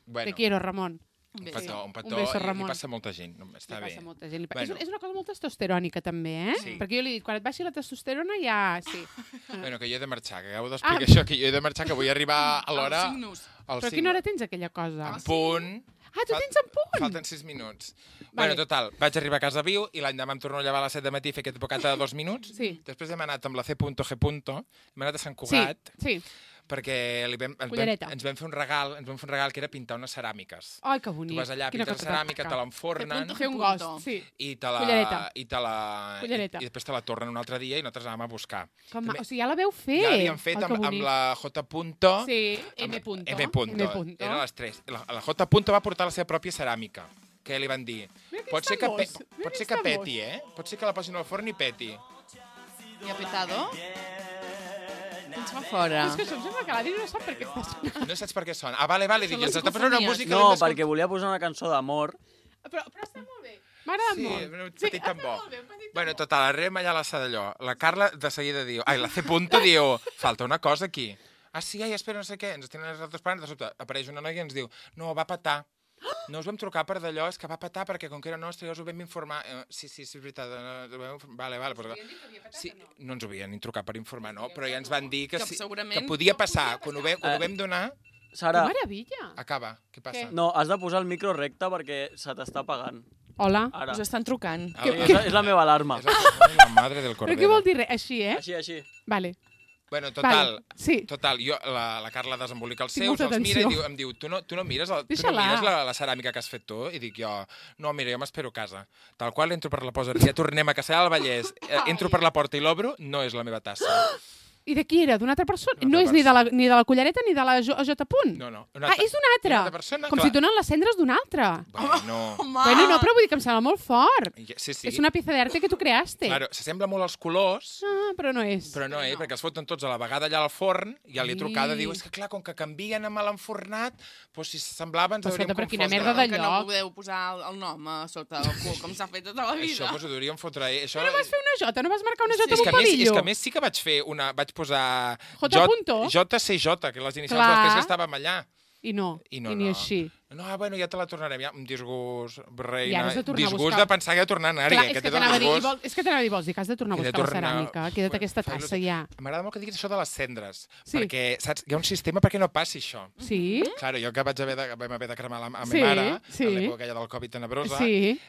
Bueno. Te quiero, Ramon. Un petó, Un beso, li Ramon. passa a molta gent. Està Li bé. passa a molta gent. Bueno. És una cosa molt testosterònica, també, eh? Sí. Perquè jo li dic, quan et baixi la testosterona ja... Sí. Bueno, que jo he de marxar, que acabo d'explicar això, que jo he de marxar, que vull arribar a l'hora... Als 5 nus. Al Però a quina hora tens aquella cosa? En punt. Ah, tu tens en punt? Falten 6 minuts. Vale. Bueno, total, vaig arribar a casa viu i l'any demà em torno a llevar a les 7 de matí i fer aquest bocata de 2 minuts. Sí. Després hem anat amb la C.G. Hem anat a Sant Cugat Sí. perquè Cullereta. ens vam fer un regal que era pintar unes ceràmiques. Ai, que bonic. Tu vas allà, Quina pintes cosa ceràmica, tan te maca. l'enfornen Fer un gost, sí. i Cullereta. i després te la tornen un altre dia i nosaltres anàvem a buscar. O sigui, ja la veu fer. Ja l'havíem fet Ai, que amb bonic. la J. Sí, amb- M. punto. M. punto. Eren les 3. La J. va portar la seva pròpia ceràmica, que li van dir, Mira que pot ser que, estamos, mira pot que ser que estamos." peti, pot ser que la posin al forn i peti. I ha petado? Ens fa fora. És que això em sembla que l'Adri no sap per què està sonant. No saps per què sona. Ah, vale, dic, Són les ens està posant una cofonies. música... No, l'hem d'escoltar. perquè volia posar una cançó d'amor. Però està molt bé. M'agrada Sí, molt. un petit està tambor. molt bé, un petit Bueno, total, arribem allà a la Sadalló. La Carla de seguida diu... Ai, la C. diu, falta una cosa aquí. Ah, sí, ai, espera, no sé què. Ens tenen els altres pares, de sobte apareix una noia i ens diu, no, va petar. No us vam trucar per d'allò, és que va petar perquè com que era nostre ja us ho vam informar. Sí, és veritat. Vale. Però... Sí, no ens ho havien ni trucat per informar, no, però ja ens van dir que, Que sí, segurament que podia passar. Quan ho vam donar... Sara, Que meravella. Acaba, què passa? no, has de posar el micro recte perquè se t'està apagant. Hola. Ara. Us estan trucant. Ah, És la meva alarma. És la madre del Però Cordero. què vol dir res? Així, eh? Així. Vale. Bueno, total, Sí. total, jo, la Carla desembolica els Tinc seus, molta els mira i atenció. em diu, tu no mires, Deixa-la. la ceràmica que has fet tu? I dic jo, no, mira, jo m'espero a casa. Tal qual entro per la poseria, tornem a Castellar del Vallès, entro per la porta i l'obro, no és la meva tassa. I de qui era? D'una altra persona? Una No altra és ni de la Cullereta ni de la J. Punt? No. Ah, és d'una Una altra. altra persona, Com clar. si donen les cendres d'una altra. Bueno, Bueno, no, però vull dir que em sembla molt fort. sí. És una pieza d'arte que tu creaste. Claro, s'assembla molt als colors, Ah, però no és. però no, perquè els foten tots a la vegada allà al forn, i ja li he trucada, Ai. diu, és que clar, com que canvien amb l'enfornat, doncs si s'assemblava ens Però hauríem escolta, però quina confós. merda de Que no lloc. podeu posar el nom a sota del cul, com s'ha fet tota la vida. Això, doncs ho hauríem fotre... Això... No vas fer una J, no vas marcar una J És amb que, un a més, és palillo. que a més sí que vaig posar J. punto? JCJ, que les inicials Clar. de les que estàvem allà. I no, I no, ni no. així. No, bueno, ja te la tornarem, ja. Un disgust, I reina. ara has de tornar a Disgust buscar. de pensar que he de tornar a anar-hi. Clar, és que t'anava a dir, disgust. és que t'anava a dir, vols dir que has de tornar a He de buscar la tornar- ceràmica. Queda't aquesta Fa tassa il·lusió. ja. M'agrada molt que diguis això de les cendres, Sí. perquè, saps, hi ha un sistema perquè no passi això. Sí? Claro, jo que vam haver de cremar a Sí, ma mare, sí. a l'època aquella del Covid tenebrosa, Sí.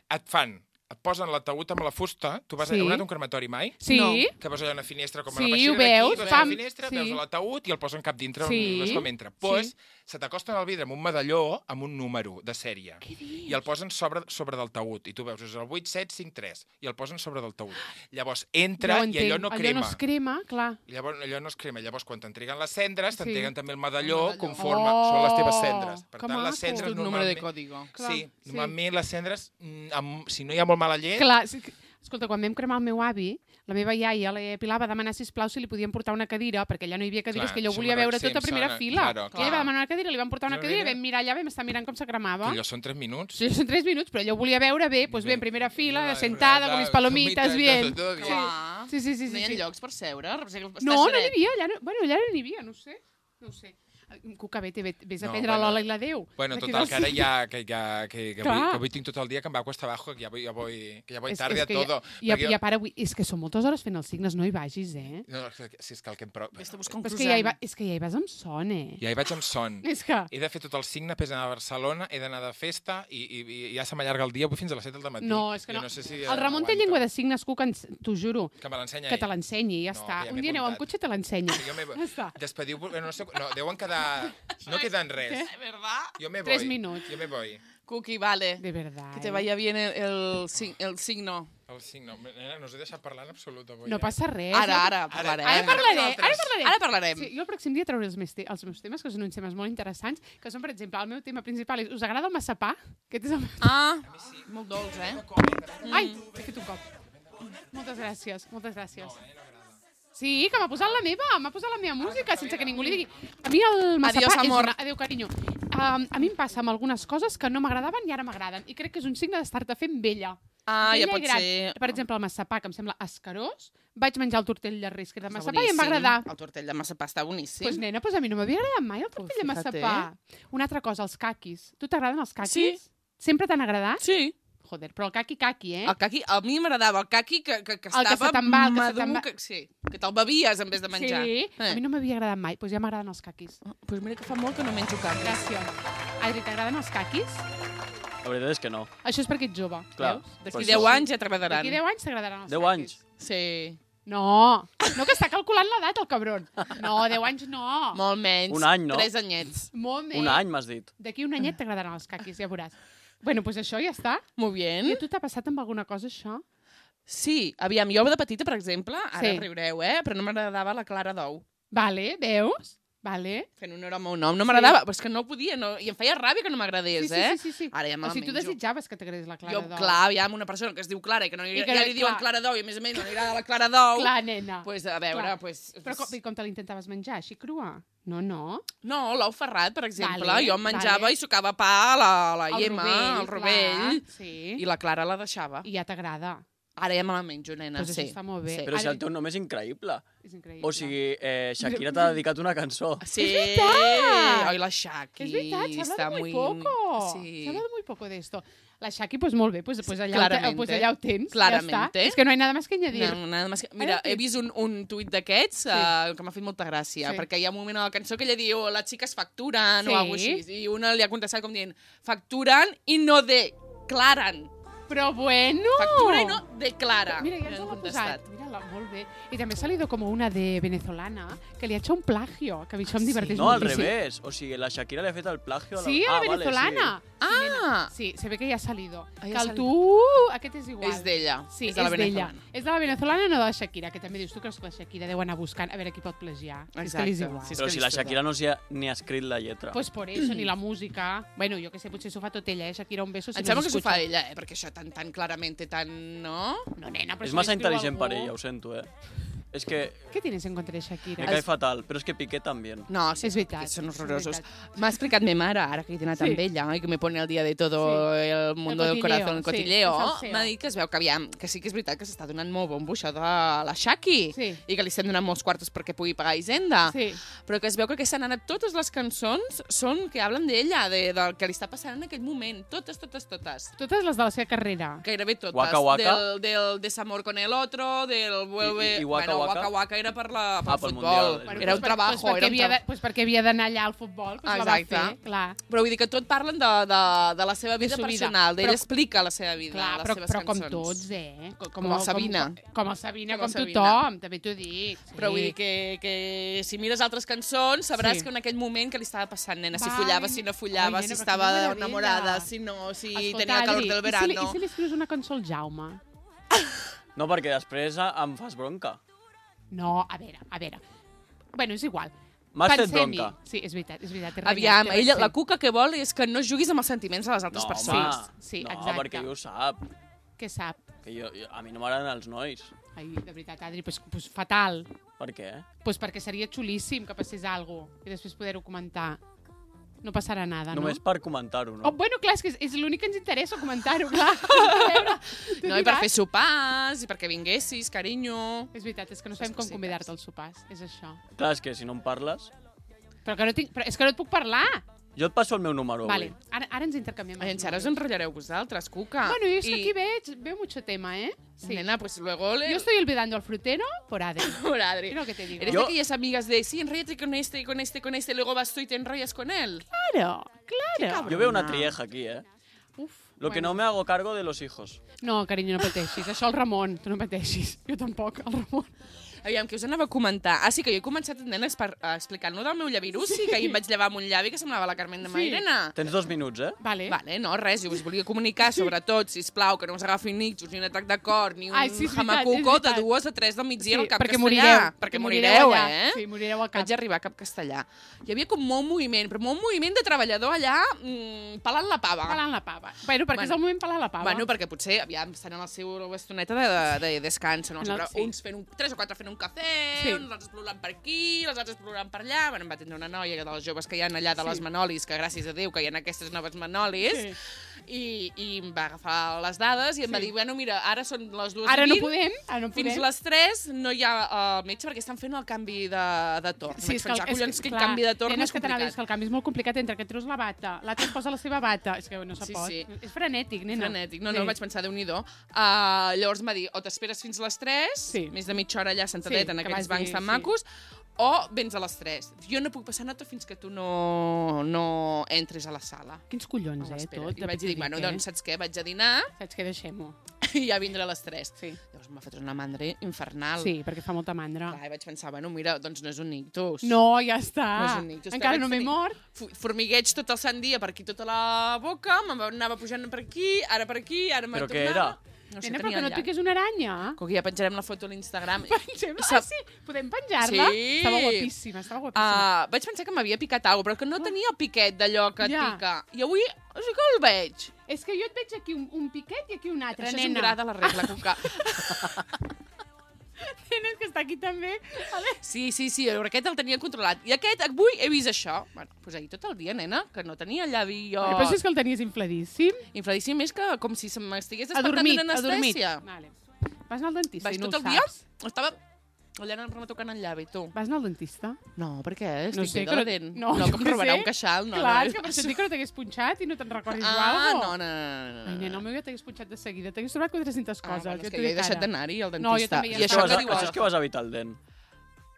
et posen l'ataúd amb la fusta. Tu vas Sí. a un crematori mai? Sí? No. Que veus allà una finestra com Sí, a la peixera ho veus, d'aquí, vas a pam, la finestra, sí. veus l'ataúd i el posen cap dintre, Sí, no és com entra. Pues, se t'acosten al vidre amb un medalló amb un número de sèrie i el posen sobre del taüt i tu veus, és el 8753 i el posen sobre del taüt. Llavors entra Ja ho i allò entenc. no Allò crema. no es crema, clar. Llavors allò no es crema. Llavors quan t'entreguen les cendres, Sí. t'entreguen també el medalló El medalló. conforme Oh, són les teves cendres. Per que tant, les maco. cendres És un número de normalment... código. Clar, Sí, sí. normalment les cendres, si no hi ha molt mala llet, Clar, sí que... Escolta, quan vam cremar el meu avi, la meva iaia, la Pilar, va demanar, sisplau, si li podien portar una cadira, perquè allà no hi havia cadires, Clar, que ella ho això volia me'n veure sí, tot a em primera sona, fila. claro, I ella va demanar una cadira, li van portar una Una cadira, cadira. vam mirar allà, vam estar mirant com se cremava. que allò són 3 minuts. Sí, són 3 minuts, però ella ho volia veure bé, doncs bé, en primera fila, Mira, sentada, con mis palomitas, bien. Todo bien. Clar. Sí. No hi ha llocs per seure? No, no n'hi havia, allà no hi havia, no ho sé. Cuca, vés a prendre l'Ola i la Déu. Bueno, total, que ara que avui tinc tot el dia que em va cuesta abajo, que ja voy tarde a todo. I a part, és que són moltes hores fent els signes, no hi vagis, eh? No, si és que el que em prou... Vés a buscar un És croissant. que ja hi vas amb son, eh? Ja hi vaig amb son. És que... He de fer tot el signe, després d'anar a Barcelona, he d'anar de festa i ja se m'allarga el dia, avui fins a les 7 del matí. No, és que no. No sé si el Ramon té llengua de signes, Cuca, t'ho juro. Que me l'ensenya Que te ell. l'ensenyi, ja No, està. que ja Un m'he dia aneu amb apuntat. cotxe i te l'ensenya. Jo me... Ja està. Despediu... No, sé, no, deuen quedar... No queden res. ¿Verdad? Jo me voy. 3 minuts. Jo me voy. Cookie, vale. De verdad. Que te vaya bien el signo. El signo. Nena, no us he deixat parlar en absolut avui. No passa res. Ara parlarem. Ara parlarem. Ara parlarem. Sí, jo el pròxim dia trauré els meus temes, que són uns temes molt interessants, que són, per exemple, el meu tema principal és: us agrada el massapà? Aquest és el meu... Ah, molt dolç, eh? Ai, he fet un cop. Moltes gràcies, moltes gràcies. Sí, que m'ha posat la meva música, sense que ningú li digui. A mi el massapà Adiós, amor. Adéu, carinyo. A mi em passa amb algunes coses que no m'agradaven i ara m'agraden. I crec que és un signe d'estar-te fent vella. Ah, ja Vella pot i gran. ser. Per exemple, el massapà, que em sembla escarós, vaig menjar el tortell de risc de Està massapà i em va boníssim. agradar. El tortell de massapà està boníssim. Pues nena, pues a mi no m'havia agradat mai el tortell de fíjate. massapà. Una altra cosa, els caquis. Tu t'agraden els caquis? Sí. Sempre t'han agradat? Sí. Joder, però el caqui, eh? El caqui, a mi m'agradava el caqui que estava se te'n va, el que se te'n madur, va. que te'l bevies en vez de menjar. Sí, a mi no m'havia agradat mai. Pues ja m'agraden els caquis. Pues mira que fa molt que no menjo caquis. Gràcies. Adri, t'agraden els caquis? La veritat és que no. Això és perquè ets jove, Clar. veus? D'aquí Per 10 això. anys ja t'agradaran. D'aquí 10 anys t'agradaran els 10 caquis. anys? Sí. No, que està calculant l'edat, el cabron. No, 10 anys no. Molt menys. Un any, no? 3 anyets. Molt més. Un any, m'has dit. D'aquí un anyet t'agradaran els caquis, ja veuràs. Bueno, pues això ja està. Molt I bien. a tu t'ha passat amb alguna cosa, això? Sí, aviam, jo de petita, per exemple, ara Sí. riureu, però no m'agradava la clara d'ou. Vale, veus? Vale. Fent honor al meu nom, no m'agradava, però és que no podia, i em feia ràbia que no m'agradés, Sí. Ara ja me O la sigui, tu menjo. desitjaves que t'agradés la clara Jo, d'ou. clar, aviam, una persona que es diu Clara i que no I que ja li diuen clar. clara d'ou i a més no li agrada la clara d'ou, Clar, nena. pues, a veure, Clar. pues... Però com te l'intentaves menjar, així crua? No. No, l'ou ferrat, per exemple. Vale, Jo em menjava vale. i sucava pa a la El Iema, al rovell, clar, sí. i la Clara la deixava. I ja t'agrada. Ara ja me la menjo, nena, Pues sí. això està molt bé. Sí. Però si el teu nom és increïble. És increïble. O sigui, Shakira t'ha dedicat una cançó. Sí. És veritat! Ai, la Shaki. És veritat, se està habla de muy poco. Sí. Se habla de muy poco de esto. La Shaki, pues molt bé, pues allà, Claramente. pues allà ho tens. Claramente. Ja està. És que no hay nada más que añadir. No, nada más que... Mira, he vist un tuit d'aquests que m'ha fet molta gràcia, Sí. perquè hi ha un moment a la cançó que ella diu les xiques facturen Sí. o alguna cosa així, i una li ha contestat com dient facturen i no declaren. Però bueno! Factura i no declara. Mira, ja li ens han l'ha contestat. posat. Mira, molt bé. I també ha salido como una de venezolana que li ha hecho un plagio, que a mi això em diverteix No, al moltíssim. revés. O sigui, la Shakira li ha fet el plagio a la... Sí, a la vale, venezolana. Ah! Sí, se ve que ja ha salido. Ah, Que ja ha el salido. tu... Aquest és igual. És d'ella. Sí, és de la venezolana. És de la venezolana, no de la Shakira, que també dius, tu creus que la Shakira deu anar buscant a veure qui pot plagiar. És que li és Exacte, igual. sí, és Però que si li la és Shakira no s'hi ha ni ha escrit la lletra. Pues por eso, ni la música. Bueno, jo que sé, potser s'ho fa tot ella, Shakira, un beso. Si Em no sembla que s'ho s'escucha. fa ella, perquè això tan clarament, tan... No? No, nena, però És si massa l'escriu intel·ligent algú. per ella, ho sento, És que ¿Qué tienes en contra de Shakira? me cae fatal, però és que Piqué també. No, sí, És veritat, que són és horrorosos. veritat. M'ha explicat mi mare, ara que he anat Sí. amb ella, i que me pone al dia de todo el mundo del cotilleo, corazón, el sí, cotilleo, el salseo. m'ha dit que es veu que aviam, que sí que és veritat que s'està donant molt bombo això de la Shaki, Sí. i que li estem donant molts quartos perquè pugui pagar Hisenda, Sí. però que es veu que aquestes han anat totes les cançons són que hablen d'ella, del que li està passant en aquell moment, totes. Totes les de la seva carrera. Gairebé totes. Waka Waka. Del desamor con el otro, del vuelve... I Waka bueno, Waka? Waka Waka era pel pel futbol. Mundial. Bueno, Era un trabajo, era un trabajo. Pues perquè havia d'anar allà al futbol, pues la va Exacte. fer, clar. Però vull dir que tot parlen de la seva vida su vida. personal, d'ella Però- explica la seva vida, Clar, les però, seves però com cançons. tots, Com el Sabina. Com el Sabina, Com com el Sabina. tothom, també t'ho dic. Sí. Però vull dir que si mires altres cançons sabràs Sí. que en aquell moment que li estava passant, nena, si Vai, follava, si no follava, ai, nena, si però estava quina meravella. enamorada, si no, si Escolta, tenia el calor Adri, del verano. I si li escrius una cançó al Jaume? No, perquè després em fas bronca. No, a veure. Bueno, és igual. M'has fet Pensem-hi. bronca. Sí, és veritat. T'he Aviam, renyat, ella, la cuca que vol és que no juguis amb els sentiments de les altres No, persones. home, Sí, no, exacte. perquè jo ho sap. Què sap? Que a mi no m'agraden els nois. Ai, de veritat, Adri, pues fatal. Per què? Pues perquè seria xulíssim que passés alguna cosa i després poder-ho comentar. No passarà nada, no? Només per comentar-ho, no? Oh, bueno, clar, és que és l'únic que ens interessa comentar-ho, clar. A veure, tu No, i per diràs. fer sopars, i perquè vinguessis, carinyo. És veritat, és que no sabem Les com cosites. convidar-te als sopars, és això. Clar, és que si no em parles... Però és que no et puc parlar. Jo et passo el meu número Vale, avui. ara ens intercanviem. Ai, ara us enrotllareu vosaltres, Cuca. Bueno, yo es que aquí veo mucho tema, ¿eh? Sí. Nena, pues luego le... Yo estoy olvidando al frutero por Adri. Por Adri. Es lo que te digo. Eres de aquellas amigas de, sí, enróllate con este, con este, con este, luego vas tú y te enrollas con él. Claro, claro. Jo veo una trieja aquí, Uf, Lo que no me hago cargo de los hijos. No, carinyo, no pateixis. Això el Ramon, tu no pateixis. Jo tampoc, el Ramon. Aviam, que us anava a comentar. Ah, sí, que jo he començat, nena, explicant-lo del meu llavirussi, sí. Que ahir em vaig llevar amb un llavi que semblava la Carmen de Mairena. Tens 2 minuts, Vale. Vale, no, res, jo us volia comunicar, sobretot, sisplau, que no us agafin nicxos, ni un atac de cor, ni un jamacuco de 2 a 3 del migdia al cap castellà. Perquè morireu, eh? Sí, morireu al cap. Vaig arribar a cap castellà. Hi havia com molt moviment, però molt moviment de treballador allà pelant la pava. Pelant la pava. Bueno, perquè és el moment pelar la pava. Bueno, perquè potser, aviam, estan en la seva estoneta de descans, no? Uns fent 3 o 4 fent un cafè, uns altres plorant per aquí, els altres plorant per allà. Bueno, em va tindre una noia de les joves que hi ha allà de les Manolis, que gràcies a Déu que hi ha aquestes noves Manolis, i em va agafar les dades i em va dir, bueno, mira, ara són les 2:20. Ara no podem. Fins les 3 no hi ha metge perquè estan fent el canvi de torn. Sí, és que el canvi de torn és complicat. És que el canvi és molt complicat entre que treus la bata, l'altre es posa la seva bata. És que no se pot. És frenètic, nena. Frenètic. No, vaig pensar, Déu-n'hi-do. Llavors em va dir, o t'esperes fins les 3, més de mitja hora allà sentadeta en aquells bancs tan macos, o vens a les 3. Jo no puc passar nota fins que tu no entres a la sala. Quins collons, tot. I vaig dir, bueno, doncs saps què? Vaig a dinar. Saps què? Deixem-ho. I ja vindré a les 3. Sí. Llavors m'ha fet una mandra infernal. Sí, perquè fa molta mandra. Clar, i vaig pensar, bueno, mira, doncs no és un ictus. No, ja està. No és un ictus. Encara no m'he mort. Formigueig tot el sant dia per aquí, tota la boca, m'anava pujant per aquí, ara per aquí, ara me'n tornava. Però què era? No sé, nena, però que no et piqués una aranya. Com que ja penjarem la foto a l'Instagram. Ah, sí? Podem penjar-la? Sí. Estava guapíssima. Vaig pensar que m'havia picat alguna cosa, però que no tenia el piquet d'allò que et pica. I avui sí que el veig. És que jo et veig aquí un piquet i aquí un altre, nena. Això és un gra de la regla, Cuca. Tienes que estar aquí també. Sí, però aquest el tenia controlat. I aquest, avui, he vist això. Bueno, doncs ahir tot el dia, nena, que no tenia el llavi jo... Però si és que el tenies infladíssim. Infladíssim és que com si m'estigués despertant d'una anestèsia. Vale. Vas anar al dentista i no ho saps. Tot el dia estava allà retocant el llavi, tu. Vas anar al dentista? No, per què? No Estic sé, bé de la dent. No, que em robarà un queixal. No, clar, que per això et dic que no t'hagués punxat i no te'n recordis o alguna no. Ai, nena, el meu ja t'hagués punxat de seguida. T'hagués trobat 400 coses. Bueno, és que jo he deixat d'anar-hi al dentista. No, jo també. I això és que vas evitar el dent.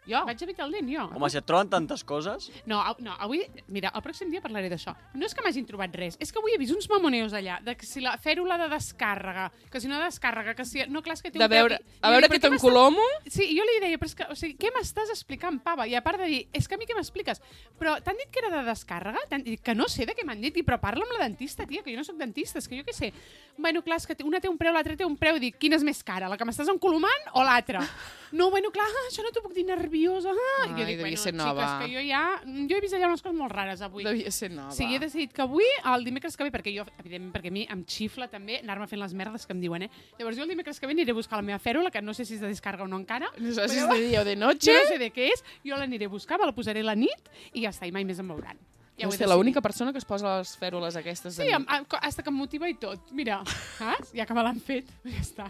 Jo? Vaig evitar el dent, jo. Home, si et troben tantes coses... No, avui... Mira, el pròxim dia parlaré d'això. No és que m'hagin trobat res, és que avui he vist uns mamoneus allà, de que si la fèrula de descàrrega, que si no descàrrega, que si... No, clar, és que té un... A veure que t'encolomo... Sí, jo li deia, però és que... O sigui, què m'estàs explicant, pava? I a part de dir, és que a mi què m'expliques? Però t'han dit que era de descàrrega? Que no sé de què m'han dit, però parla amb la dentista, tia, que jo no soc dentista, és que jo què sé. Bueno, clar, és que una té un preu, l'altra té un preu, i dic, quina és més cara, la que m'estàs encolomant o l'altra? No, bueno, clar, això no t'ho puc dir nerviosa. I jo dic, bueno, xiques, que jo he vist allà unes coses molt rares avui. Devia ser nova. Sí, he decidit que avui, el dimecres que ve, perquè jo, evidentment, perquè a mi em xifla també anar-me fent les merdes que em diuen, Llavors jo el dimecres que ve aniré a buscar la meva fèrula, que no sé si és de descàrrega o no encara. No sé si és de dia o de noche. Jo no sé de què és, jo l'aniré a buscar, me la posaré la nit i ja està, i mai més em veuran. Ja no sé, l'única persona que es posa les fèrules aquestes de nit. Sí, hasta que em motiva i tot. Mira, saps? Ja que me l'han fet, ja està.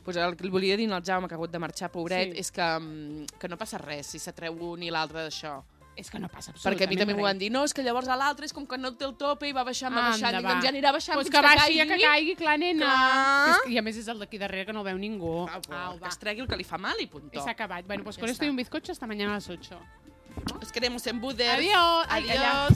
Pues el que li volia dir al Jaume, que ha hagut de marxar, pobret, és que no passa res si s'atreu un i l'altre d'això. És que no passa absolutament perquè a mi també m'ho van dir, no, és que llavors l'altre és com que no té el tope i va baixant, doncs ja anirà baixant fins que caigui. Ja que caigui, clar, nena. I a més és el d'aquí darrere que no el veu ningú. Que es tregui el que li fa mal i punto. I s'ha acabat. Bueno, pues con esto y un bizcocho hasta mañana a las 8. Os queremos en Buder. Adiós. Adiós.